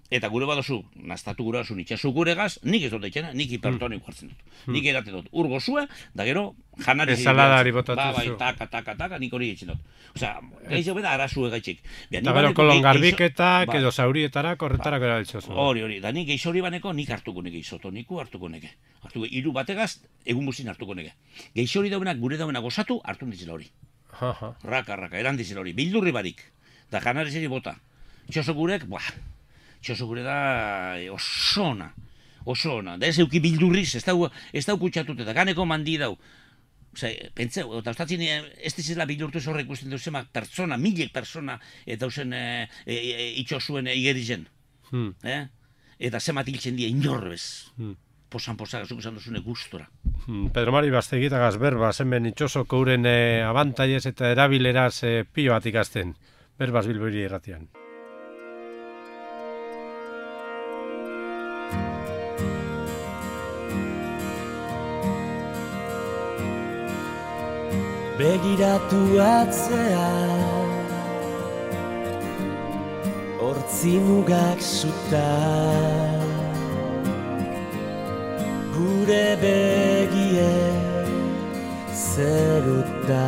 eta gure badozu, naztatu gure badozu itxasukuregaz, nik ez dut eitxena, nik hipertoniko hartzen dut. Nik erate dut ur gozue, da gero, janari... Esaladari botatu zu. Taka, nik hori eitzen dut. Osea, gaiz beda arazue gaitxik. Eta gero kolon garbiketak edo zaurietarak horretarak erabiltzozu. Hori, da nik geiz hori baneko, nik hartuko neke, izotoniku hartuko neke. Hartuko, 3 bategaz, egun guztin hartuko neke. Geiz hori dauenak, gure dauenak gozatu, hartu ditzela hori. Raka, eran ditzela hori. Bildurri barik. Da janari zeri bota. Txosogurek, txosogure da oso ona. Da ez euki bildurriz, ez dau kutsatut eta ganeko mandi dau. Pentseu, eta ostatzin ez dizela bildurtu ez horrek ikusten duzema pertsona, milek persona eta dauzen itxosuen igerizen. Eta zemat hiltzen dira inorrez. Posan gazuk esan duzune gustora. Pedro Mari Bastegitagaz berbaz, hemen itxosoko uren abantaiez eta erabileraz pilo bat ikasten. Berbaz Bilbori erratian. Begiratu atzea, hortzi mugak zuta, gure begie zeruta.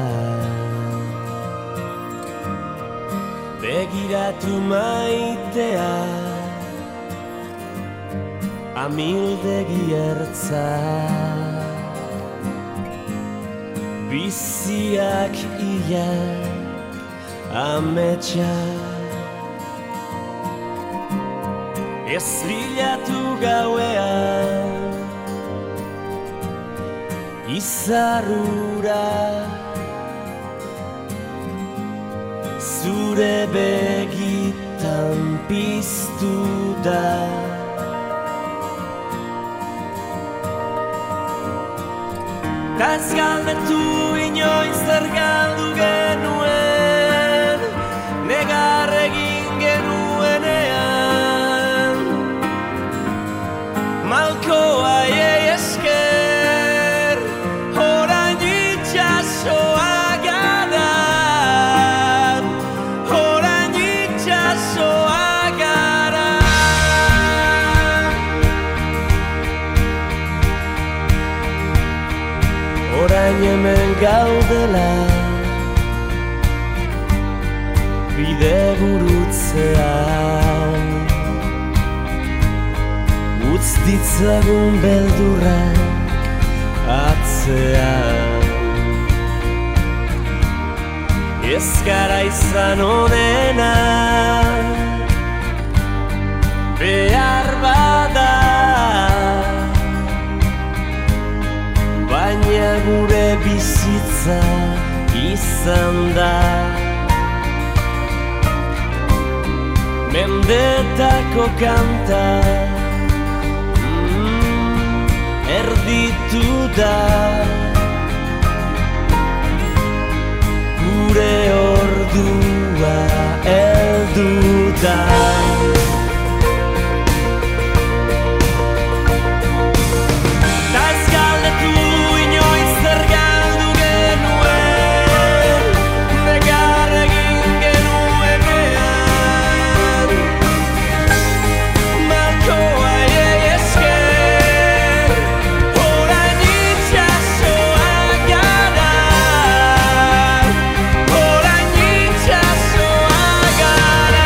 Begiratu maitea, amildegi ertza, biziak ia ametsa. Ez bilatu gauean izarrura, zure begitan piztu da. Ta ez galdetu inoiz zer galdu genuen, negar egin genuenean. Malkoa esker, orain itxasoa gara, orain itxasoa gara. Orain hemen gaudela, bide gurutzean. ditzagun beldurrak atzean. Ez gara izan onena, behar bada, baina gure bizitza izan da. Mendetako kanta erditu da, gure ordua heldu da. Ta ez galdetu inoiz zer galdu genuen, negar egin genuenean. Malkoa esker, orain itxasoa gara, orain itxasoa gara.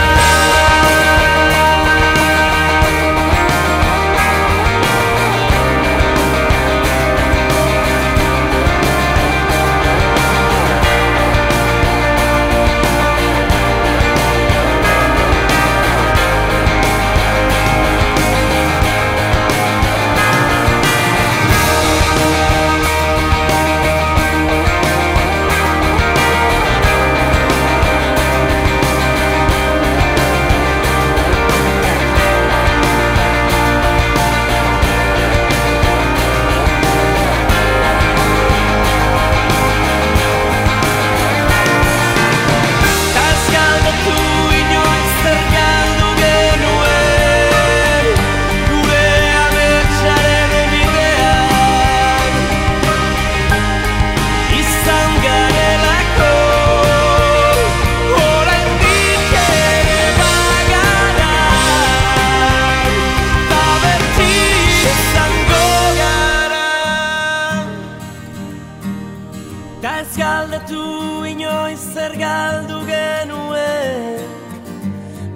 Ta ez galdetu inoiz zer galdu genuen,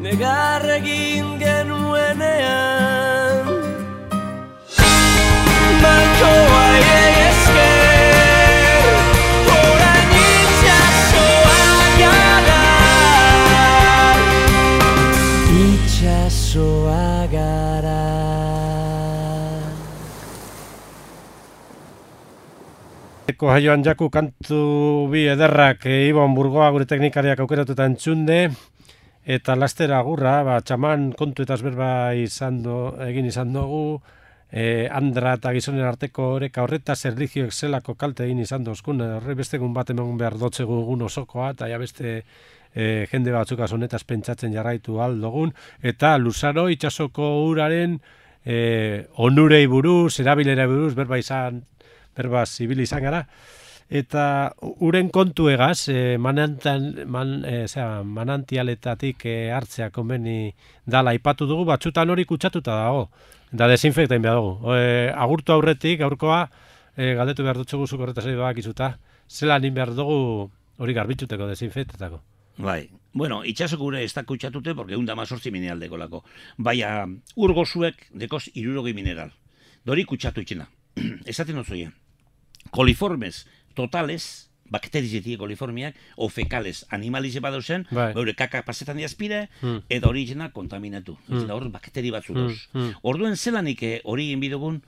negar egin genuenean. Malkoa esker, orain itxasoa gara, itxasoa gara. Eko jaioan jaku kantu bi ederrak Ibon Burgoa gure teknikariak aukeratuta entzunde, eta lastera agurra, txaman kontu eta berba egin izan dugu, Andra eta gizonen arteko oreka horretaz erlijioek zelako kalte egin izan dozkun, horre bestegun bat eman behar dotzegu egun osokoa, eta ja beste jende batzuk honetaz pentsatzen jarraitu aldogun, eta Luzaro itsasoko uraren onurei buruz, erabilera buruz, berba zibil izan gara, eta uren kontu egaz, manantialetatik hartzea konbeni dala aipatu dugu, batzutan hori kutsatuta dago, da desinfektain behar dugu. Agurtu aurretik, gaurkoa, galdetu behar dutxugu zuk horretaz egin bakizuta, zelan egin behar dugu hori garbitzuteko, desinfektetako. Bai, bueno, itxasok gure ez da kutsatute, porque 118 mineral dekolako. Baina, urgozuek dekoz 60 mineral. Dori kutsatu itxena. Esaten ozoia. Coliformes totales, bakterizetik coliformiak, o fecales animalize badauzen, beure kaka pasetan diazpire, eta hori izena kontaminatu. Eta hor bakteri batzu doz. Orduen zelanik hori inbidugun,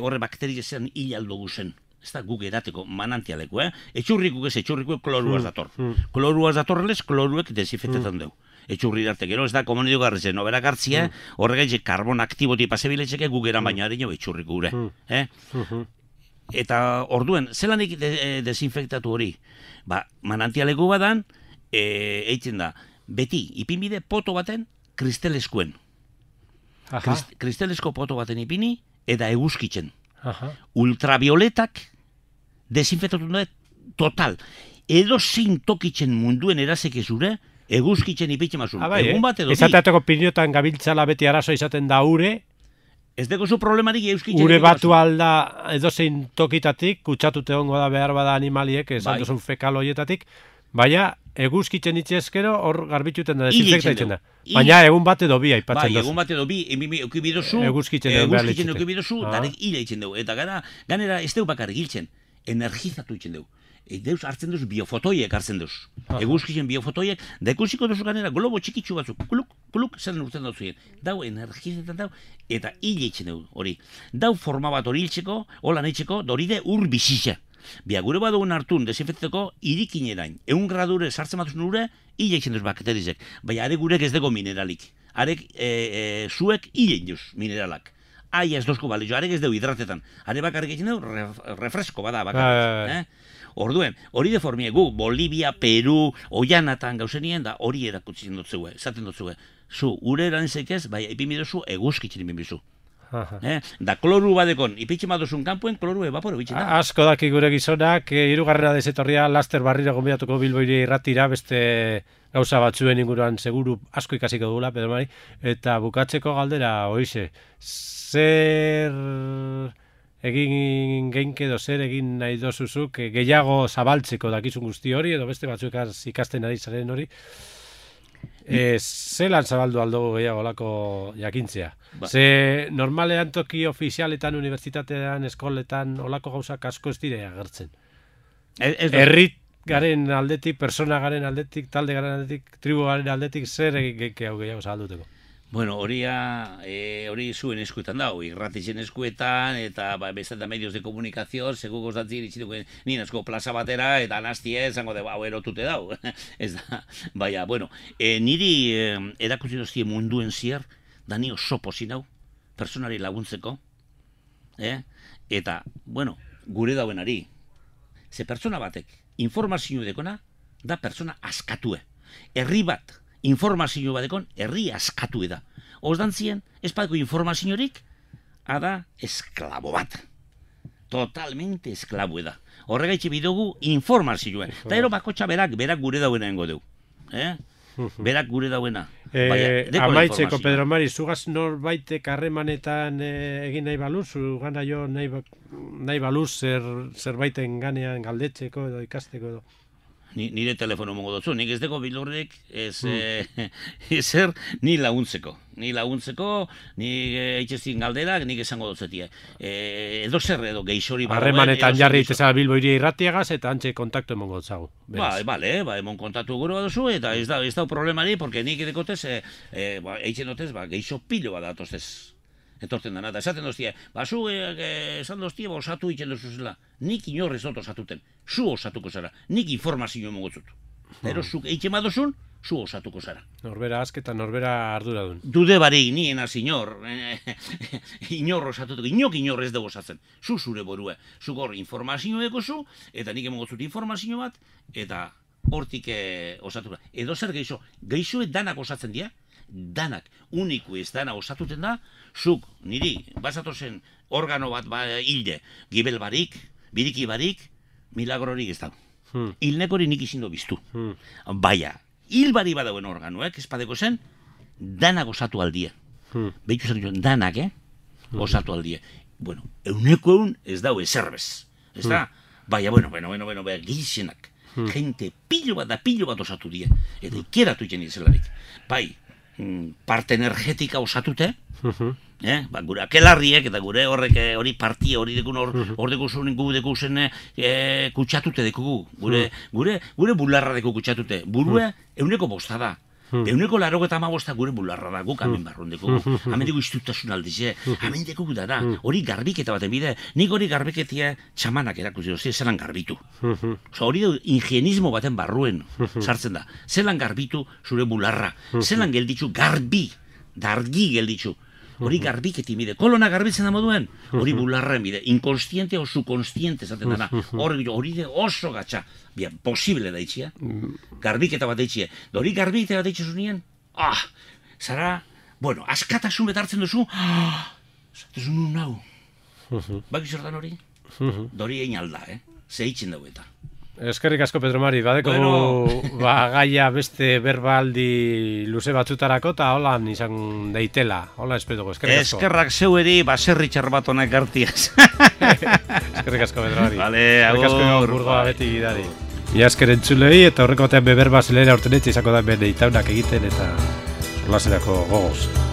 horre bakterizean hilaldo guzen. Ez da guk edateko manantialeko, etxurrikuk ez, etxurrikuek kloruaz dator. Kloruaz datorrelez, kloruek desinfektetan dugu. Etxurri darte, gero ez da komunidu garritzen, oberak hartzia, horregaitze karbon aktiboti pasebiletzeke guk eran baina harino etxurrik gure. Eta orduen, zelanik desinfektatu hori? Manantialeko badan, eitzen da, beti, ipinbide poto baten kristeleskuen. Kristelesko poto baten ipini, eta eguzkitzen. Ultravioletak desinfektatu dut total. Edo zein tokitzen munduen erazeke zure, eguzkitzen ipitzen mazun. Egun bat edo izateateko piniotan gabiltzala beti arazo izaten da ure. Ez deko zu problemarik euskitzen. Ure batu alda edo zein tokitatik, kutsatute hongo da behar bada animaliek, esan duzun fekal horietatik, baina eguzkitzen itxezkero, hor garbituten da, Hile desinfektatzen itxen da. du. Baina egun bat edo bi aipatzen Bai, dozu. egun bat edo bi, eukibidozu, Eguzkitzen egon behar litzake. eukibidozu, darek hile itzen dugu. Eta ganera ez dugu bakarrik hiltzen, energizatu itzen dugu. Deus hartzen duz biofotoiek hartzen duz. Eguzkitzen biofotoiek, da ikusiko duzu ganera globo txikitsu batzuk, kuluk, zer urten duzuen. Dau energizetan dau, eta hile itzen dugu, hori. Dau forma bat hori hiltzeko, hola nahitzeko, doride ur bizitza. Bia, gure badugun hartun, desinfekteko, irikinerain. 100 gradure sartzen batuz nure, hile itzen duz bakterizek. Baina, are gurek ez dago mineralik. Arek, zuek hile induz mineralak. Aia ez dozko balio, arek ez dugu hidratetan. Are bakarrik egin dugu, refresko bada bakarrik. Orduen, hori deformie gu, Bolivia, Peru, Oianatan gauzenien, da hori erakutzen dut zeue, esaten dut zeue. Zu, ure erantzek ez, bai, ipimidozu, eguzkitzen ipimidozu. Da kloru badekon, ipitxe madozun kanpuen, kloru evaporo bitxen da. Asko daki gure gizonak, hirugarrena dezetorria laster barriro gonbidatuko Bilboiri irratira, beste gauza batzuen inguruan seguru asko ikasiko dugula, Pedro Mari, eta bukatzeko galdera, hoize, zer egin geinke edo zer egin nahi dozuzuk gehiago zabaltzeko dakizun guzti hori, edo beste batzuk ikasten ari zaren hori, zelan zabaldu aldo gehiago lako jakintzea? Ze normalean toki ofizialetan, unibertsitatean, eskoletan, olako gauzak asko ez dire agertzen. Herrit garen aldetik, persona garen aldetik, talde garen aldetik, tribu garen aldetik, zer egin gehiago zabalduteko? Bueno, hori zuen eskuetan da, irratitzen eskuetan, eta bestan da medios de komunikazio, segu gozatzen itxituko nien asko plaza batera, eta anastie, zango de, hau erotute dau. Ez da, baina, bueno, niri erakutsi doztie munduen zier, da ni oso pozin hau, personari laguntzeko, eta, bueno, gure dauenari, ze pertsona batek, informazio dekona, da pertsona askatue. Herri bat, informazio badekon, herri askatu da. Osdantzien, ez badeko informaziorik, ada esklabo bat. Totalmente esklabo da. Horregaitxe bidugu informazioa. Eta ero bakotxa berak gure dauena engo deu. Berak gure dauena. Amaitzeko, Pedro Mari, zugaz norbaitek harremanetan egin nahi baluz, zugana jo nahi baluz zerbaiten ganean galdetzeko edo ikasteko edo. Nire telefono mongo dutzu, nik ez deko bilurrek ezer ni laguntzeko. Ni eitxezin galderak, nik esango dutzetia. Edo zer edo geixori badagoen. Harremanetan jarri iteza Bilboiri irratiagaz eta antxe kontaktu emongo dutzagu. Emon kontaktu gure baduzu, eta ez da problemari, porque nik edekotez, eitzen dutez, geixo pilo bat datoztez. Etorten dana, eta esaten doztie, zu esan doztie, osatu itzen duzuzela. Nik inorrez dut osatuten, zu osatuko zara, nik informazio emongotzut. Ero, zuk eitzen badozun, zu osatuko zara. Norbera azketa, norbera arduradun. Dude barik, nien az inor osatutuko, inor ez dugu osatzen. Zu zure borue, zu hor informazio ekozu, eta nik emongotzut informazio bat, eta hortik osatuko. Edo zer geixoet danak osatzen dira, danak, uniku ez dana osatuten da, zuk, niri, bazatozen organo bat hilde, gibel barik, biriki barik, milagrorik ez dago. Hilnekori nik izindo biztu. Baina, hil bari badauen organoek, espadeko zen, danak osatu aldia. Behitu zen joan, danak, osatu aldia. Bueno, euneko eun ez dau ezerbez. Ez da? Baina, bueno, gizienak. Gente pilo bat osatu die. Eta ikeratu iten izelarik. Bai, parte energetika osatute, gure akelarriek eta gure horrek hori partia hori dekun hor dekusen gu dekusen kutsatute dekugu, gure bularra deku kutsatute, burue euneko bosta da. 185 gure bularra da, guk hemen barrun dekugu. Hemen dugu istutasun aldize, hemen dekugu dara, hori garbiketa baten bide, nik hori garbiketia txamanak erakuzi dozi, zelan garbitu. Hori du ingienismo baten barruen sartzen da. Zelan garbitu zure bularra, zelan gelditzu dargi gelditzu. Hori garbiketi bide, kolona garbitzen da moduen, hori bularren bide, inkonstiente o subkonstiente zaten dana, hori de oso gatsa, bien, posible da itxia, garbiketa bat itxia, hori garbiketa bat itxia zunien, zara, bueno, askatasun betartzen duzu, zaten nun nau, baki zertan hori? Dori egin alda, ze itxen dugu eta. Eskerrik asko, Pedro Mari, badeko gaia beste berbaldi luze batzutarako eta holan izan deitela, hola espetuko, eskerrik asko. Eskerrak zeueri baserri txarbat honek hartiaz. Eskerrik asko, Pedro Mari. Vale, eskerrik asko, burgoa beti gidari. Ia esker entzulei eta horreko batean beber bazelera urtenetxe izako da hemen itaunak egiten eta solaserako gogoz.